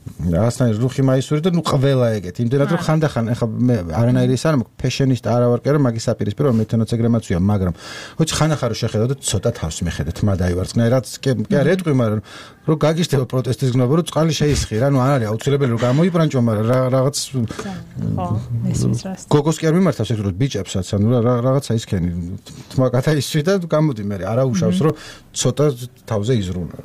რაღაცნაირი რუხი მაისური და ნუ ყველა ეგეთ იმდენად რომ ხანდახან ეხა მე არანაირი ის არ მაქვს ფეშენისტ არა ვარ კი არა მაგის საპირისპირო რომ მეთონაც ეგრე მაცვია მაგრამ ხოჩ ხანახან რომ შეხედავ და ცოტა თავს მიხედეთ მა დაივარცხნა რაც კი არ ეტყვი მაგრამ რომ გაგიშდება პროტესტის გნობა რომ წყალი შეისხი რა ნუ არ არის აუცილებელი რომ გამოიბრანჭო მაგრამ რაღაც ხო მესმის რას გოგოს კი არ მიმართავს ეგ რომ ბიჭებსაც ანუ რაღაცა ისქენი თმაკათა ისვი და გამოდი მე არა უშავს რომ ცოტა თავზე იზრუნა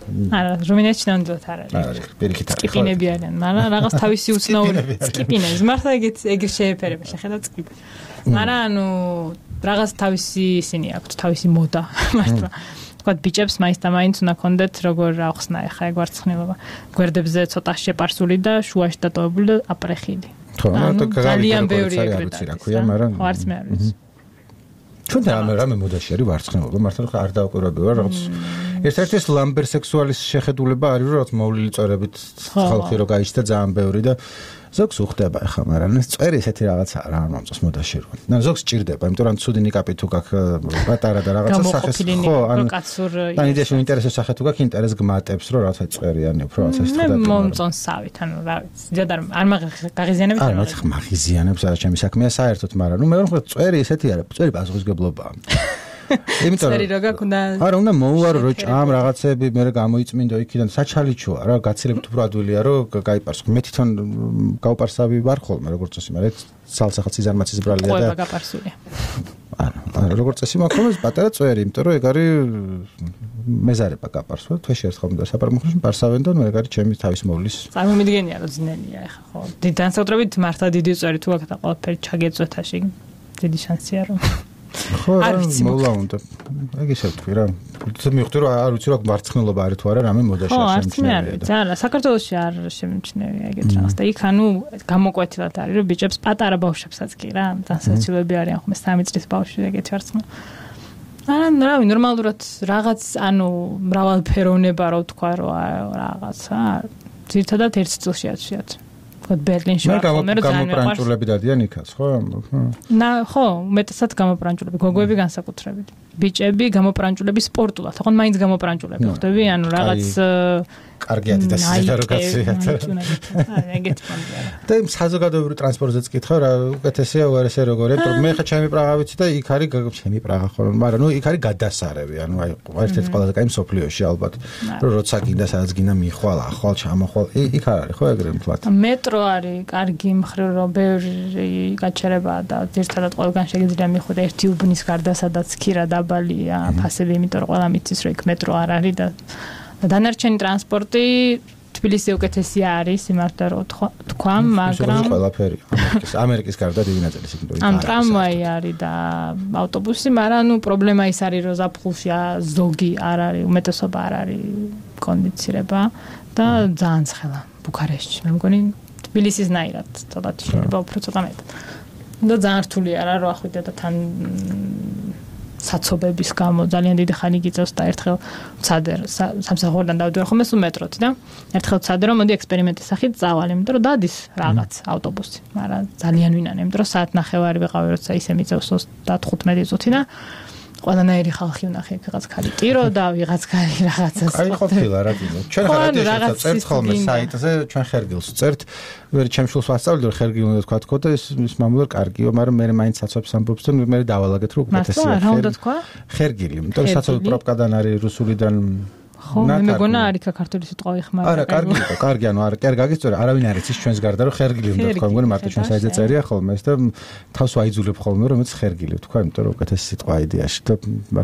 არა რუმინეთში ნამდვილად არ არის პირიქით არის სკიპინები არიან მაგრამ რაღაც თავისი უცნაური სკიპინები მართლა ეგეთ ეგრ შეეფერება შეხედავ სკიპი მაგრამ ანუ რაღაც თავისი ისინი აქვთ თავისი მოდა მართლა თქვა ბიჭებს მაინც და მაინც უნდა კონდეთ როგორ ახსნა ეხა ეგ ვარცხნილობა გვერდებზე ცოტა შეპარსული და შუაში დატოვებული და აპრეხილი ხო ანუ ძალიან ბევრი ეგრეთ არის მაგრამ არც მე არ ვიცი ჩვენ რამე რამე მოდაში არის ვარცხნილობა მართლა არ დავკვირვები ვარ რაღაც ერთ-ერთი ეს ლამბერ სექსუალის შეხედულება არის რომ რაღაც მოვლილი წვერებით ხალხი რო გაიჩნდა ძალიან ბევრი და ზოგს უხდება ახლა მაგრამ ეს წვერი ესეთი რაღაცა რა არ მომწონს მოდაში რო და ზოგს ჭირდება იმიტომ რომ ცუდი ნიკაპი თუ გაქვს პატარა და რაღაცა სახეს ხო ან ან იდეაში ინტერესებს სახე თუ გაქვს ინტერეს გმატებს რომ რაღაცა წვერიანი უფრო რაღაცა ის ხდება მე მომწონს სავით ანუ რა ვიცი ზედარ არ მაგაღიზიანებს არ მაგაღიზიანებს არა ჩემი საქმეა საერთოდ მაგრამ ნუ მე რომ წვერი ესეთი არის წვერი პასუხისგებლობაა იმიტომ წერი რო გაქონდა არა უნდა მოუარო რო ჭამ რაღაცები მე გამოიწმინდო იქიდან საჩალიჩოა რა გაცილებით უფრო ადვილია რომ გაიპარსო მე თვითონ გავპარსავი ვარ ხოლმე როგორც წესი მაგრამ სალსახაც იზარმაცის ბრალია და ყובה გაპარსულია არა როგორც წესი მაქვს ხოლმე პატარა წვერი იმიტომ რომ ეგ არის მეზარება გაპარსვა თვეში ერთხელ უნდა საპარამოხში პარსავენ და მე ეგ არის ჩემი თავის მოვლის წარმომიდგენია რომ ძნელია ეხა ხო განსაკუთრებით მართლა დიდი წვერი თუ აქ და ყველაფერი ჩაგეწვეთაში დიდი შანსია რომ ხო მოლა უნდა ეგ ისე თქვი რა თუ მივხვდი რომ არ ვიცი რა მარცხნილობა არის თუ არა რამე მოდაში არ შემჩნევია და არა საქართველოში არ შემჩნევია ეგეთ რაღაც და იქ ანუ გამოკვეთილად არის რომ ბიჭებს პატარა ბავშვებსაც კი რა დასაცილოები არიან ხომ სამი წლის ბავშვი ეგეთი ვარცხნა არა რავი ნორმალურად რაღაც ანუ მრავალფეროვნება რო თქვა რომ რაღაცა ძირთადად ერთ წელში აცვიათ ხო ბერლინში ვარ ხოლმე რომ გამოპრანჭულები დადიან იქაც ხო ნა ხო მეტად გამოპრანჭულები გოგოები განსაკუთრებით ბიჭები გამოპრანჭულები სპორტულად თქო მაინც გამოპრანჭულები ხდები ანუ რაღაც კარგი ადიდასის რო გაციათ ეგეთ პონტია და იმ საზოგადოებრივ ტრანსპორტზეც კითხავ რა უკეთესია უარესია როგორია იმიტომ მე ხა ჩემი პრაღა ვიცი და იქ არის ჩემი პრაღა ხო მაგრამ ნუ იქ არის გადასარევი ანუ აი ერთ-ერთი ყველაზე კაი მსოფლიოში ალბათ რომ როცა გინდა სადაც გინდა მიხვალ ახვალ ჩამოხვალ იქ არ არის ხო ეგრე მთლად მეტრო არის კარგი მხრივ რომ ბევრი გაჩერებაა და ერთადად ყველგან შეგიძლია მიხვიდე ერთი უბნის გარდა სადაც ქირა დაბალია ფასები იმიტომ რომ ყველა მიცის რომ იქ მეტრო არ არის და დანარჩენი ტრანსპორტი თბილისი უკეთესი არის იმართა რომ თქვა მაგრამ ყველაფერი ამერიკის ამერიკის გარდა დიდი ნაწილი სიგნალი ამ ტრამვაი არის და ავტობუსი მაგრამ ნუ პრობლემა ის არის რომ ზაფხულში ზოგი არ არის უმეტესობა არ არის კონდიცირება და ძალიან ცხელა ბუქარესტში მე მგონი თბილისის ნაირად ცოტათი შეიძლება უფრო ცოტა მეტად და ძალიან რთული არა რომ ახვიდე და თან საცობების გამო ძალიან დიდი ხანი გიწევს და ერთხელ ვცადე სამსახურიდან დავდივარ ხოლმე სულ მეტროთი და ერთხელ ვცადე რომ მოდი ექსპერიმენტის სახით წავალ, იმიტომ რომ დადის რაღაც ავტობუსი, მაგრამ ძალიან ვინან, იმიტომ რომ საათ ნახევარი ვიყავი, როცა ისე მიწევს ოცდათხუთმეტი წუთი და ყველანაირი ხალხი ვნახე, ვიღაც ხალი ტირო და ვიღაც ხალი რაღაცას. აი ყოფილა რა თქმა უნდა. ჩვენ ხარადიაშიც წერთ ხოლმე საიტზე, ჩვენ ხერგილს წერთ. ვერ ჩემშულს ვასწავლი, რომ ხერგილი უნდა თქვა თქო და ის ის მამულად კარგიო, მაგრამ მე მაინც საცობს ამბობს და მე დავალაგეთ რომ უკეთესია. რა უნდა თქვა? ხერგილი, იმიტომ რომ საცობი პროპაგანდან არის რუსულიდან ხო, მე მეგონა არის ქართული სიტყვა იხმარა. არა, კარგი იყო, კარგი, ანუ არა, კარგი გაგიწორა, არავინ არ იცის ჩვენს გარდა რომ ხერგილი უნდა თქვა, მგონი მარტო ჩვენ საიტზე წერია ხოლმე ეს და თავს ვაიძულებ ხოლმე რომ ეს ხერგილი თქვა, იმიტომ რომ უკეთესი სიტყვა იდეაში და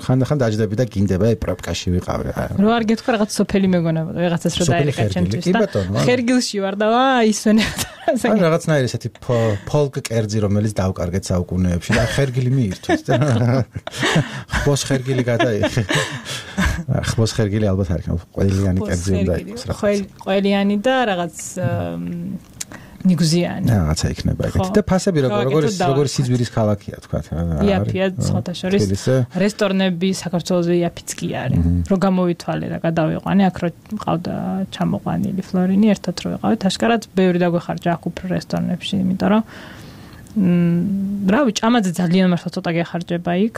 ხანდახან დაждები და გინდება აი პროპკაში ვიყავი. რო არ გეთქვა რაღაც სოფელი მეგონა, რაღაცას რო დაერეკა ჩემთვის და ხერგილში ვარ და ვა ისვენებდა. აი რაღაცნაირი ესეთი ფოლკ კერძი რომელიც დავკარგეთ საუკუნეებში და ხერგილი მიირთვეს და ხბოს ხერგილი გადაიხე. ხბოს ხერგილი ალბათ არ იქნება ყველიანი კერძი უნდა იყოს რა. ყველიანი და რაღაც ნიგუზიანი. რაღაცა იქნება ეგეთი. და ფასები როგორ როგორ როგორ სიძვირის ქალაქია თქვა. იაფია სხვათა შორის რესტორნები საქართველოსზე იაფიც კი არის. რო გამოვითვალე და გადავიყვანე აქ რო მყავდა ჩამოყვანილი ფლორინი ერთად რო ვიყავით აშკარად ბევრი დაგვეხარჯა აქ უფრო რესტორნებში, იმიტომ რომ რავი ჭამაძე ძალიან მართლა ცოტა გეხარჯება იქ.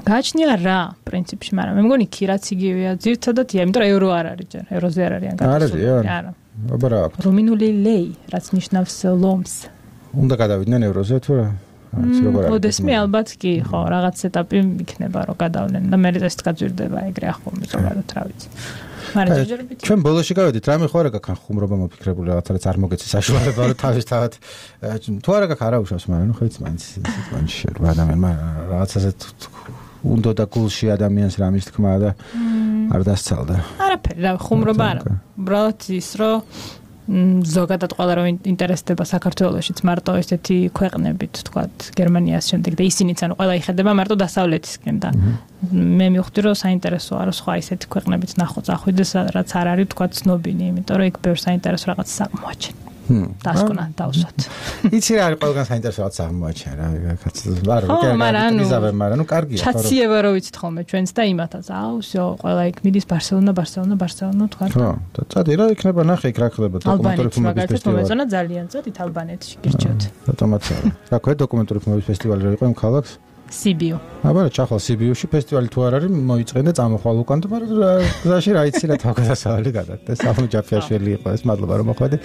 გააჩნია რა პრინციპში, მაგრამ მე მგონი ქირაც იგივეა, ძირთადად ია, იმიტომ რომ евро არ არის ჯერ, ევროზე არ არიან გადასული. არა. აბა რა აქვს? რუმინული ლეი, რაც ნიშნავს ლომს. უნდა გადავიდნენ ევროზე თუ რა? არც როგორ არის? ოდესმე ალბათ კი, ხო, რაღაც ეტაპი იქნება რომ გადავლენ და მე ეს გაძვირდება ეგრე ახლა ზოგადად რა ვიცი. მაგრამ ჯერჯერობით ჩვენ ბოლოში გავედით, რამე ხო არა გაქან ხუმრობა მოფიქრებული რაღაცა რაც არ მოგეცი საშუალება რომ თავისთავად თუ არა გაქ არა უშავს, მაგრამ ნუ ხეიც მაინც სიტყვაში რომ ადამიანმა რაღაცაზე უნდა და გულში ადამიანს რამის თქმა და არ დასცალდა. არაფერი, რა ხუმრობა არა. უბრალოდ ის რომ ზოგადად ყველა რომ ინტერესდება საქართველოშიც მარტო ესეთი ქვეყნებით, თქვათ, გერმანიას შემდეგ და ისინიც ანუ ყველა იხედება მარტო დასავლეთისკენ და მე მივხვდი რომ საინტერესოა რომ სხვა ისეთი ქვეყნებით ნახო წახვიდეს რაც არ არის თქვათ ცნობილი, იმიტომ რომ იქ ბევრ საინტერესო რაღაც აღმოაჩენ. დასკვნა დავსვათ. იცი რა არის ყველგან საინტერესო რაღაც აღმოაჩენ რა, კაც ვარ ვიკერგიზავე, მაგრამ ნუ კარგია ხო. ჩაციება რო ვიცით ხოლმე ჩვენც და იმათაც, აუ, всё, ყველა იქ მიდის ბარსელონა, ბარსელონა, ბარსელონა თქვათ. ხო, და წადი რა იქნება, ნახე იქ რა ხდება დოკუმენტური ფილმების ფესტივალი. ალბანეთში ძალიან წადით ალბანეთში გირჩევთ. ავტომატურად. რა ქვია დოკუმენტური ფილმების ფესტივალი რა იყო იმ ქალაქს? სიბიუ. აბა რა ჩახლა სიბიუში ფესტივალი თუ არ არის მოიწყვენ და წამოხვალ უკან და მაგრამ გზაში რა იცი რა თავგადასავალი გადაგდა. სამუჯაფიაშვილი იყო ეს, მადლობა რომ მოხვედი.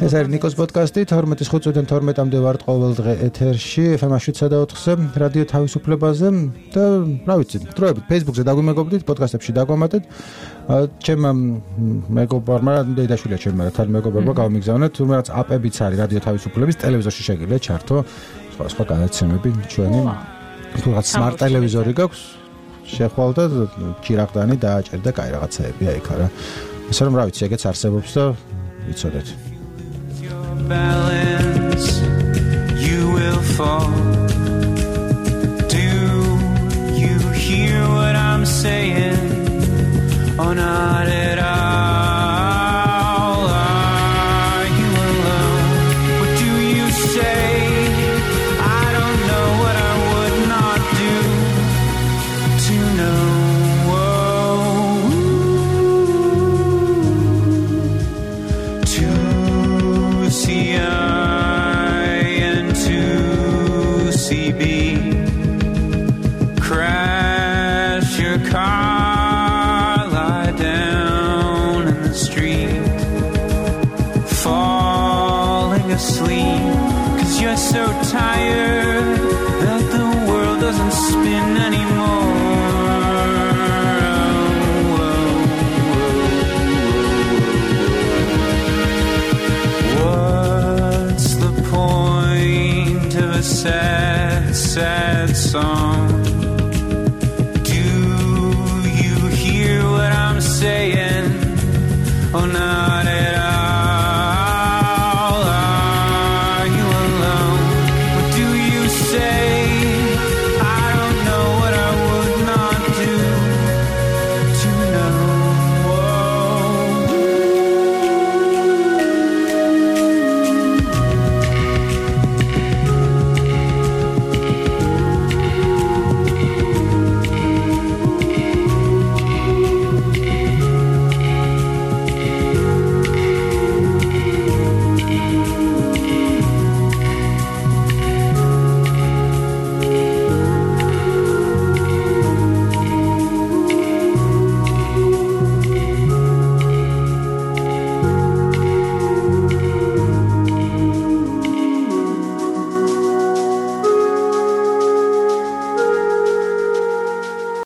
ეს არის ნიკოს პოდკასტი თორმეტის ხუთიდან თორმეტამდე ვართ ყოველ დღე ეთერში ეფ ემ შვიდსა და ოთხზე რადიო თავისუფლებაზე და რა ვიცი დროებით Facebook-ზე დაგვიმეგობრდით, პოდკასტებში დაგვამატეთ. ჩემ მეგობარმა დედაშვილია ჩემ თან მეგობარმა გავმიგზავნა თუმცა რაც აპებიც არის რადიო თავისუფლების ტელევიზორში შეგიძლიათ ჩართო სხვა სხვა განაცემები ჩვენი თუ რაღაც smart ტელევიზორი გაქვს შეხვალ და ჩირაღდანი დააჭერ და კაი რაღაცაებია იქ არა ესე რომ რა ვიცი ეგეც არსებობს და ვიცოდეთ you will fall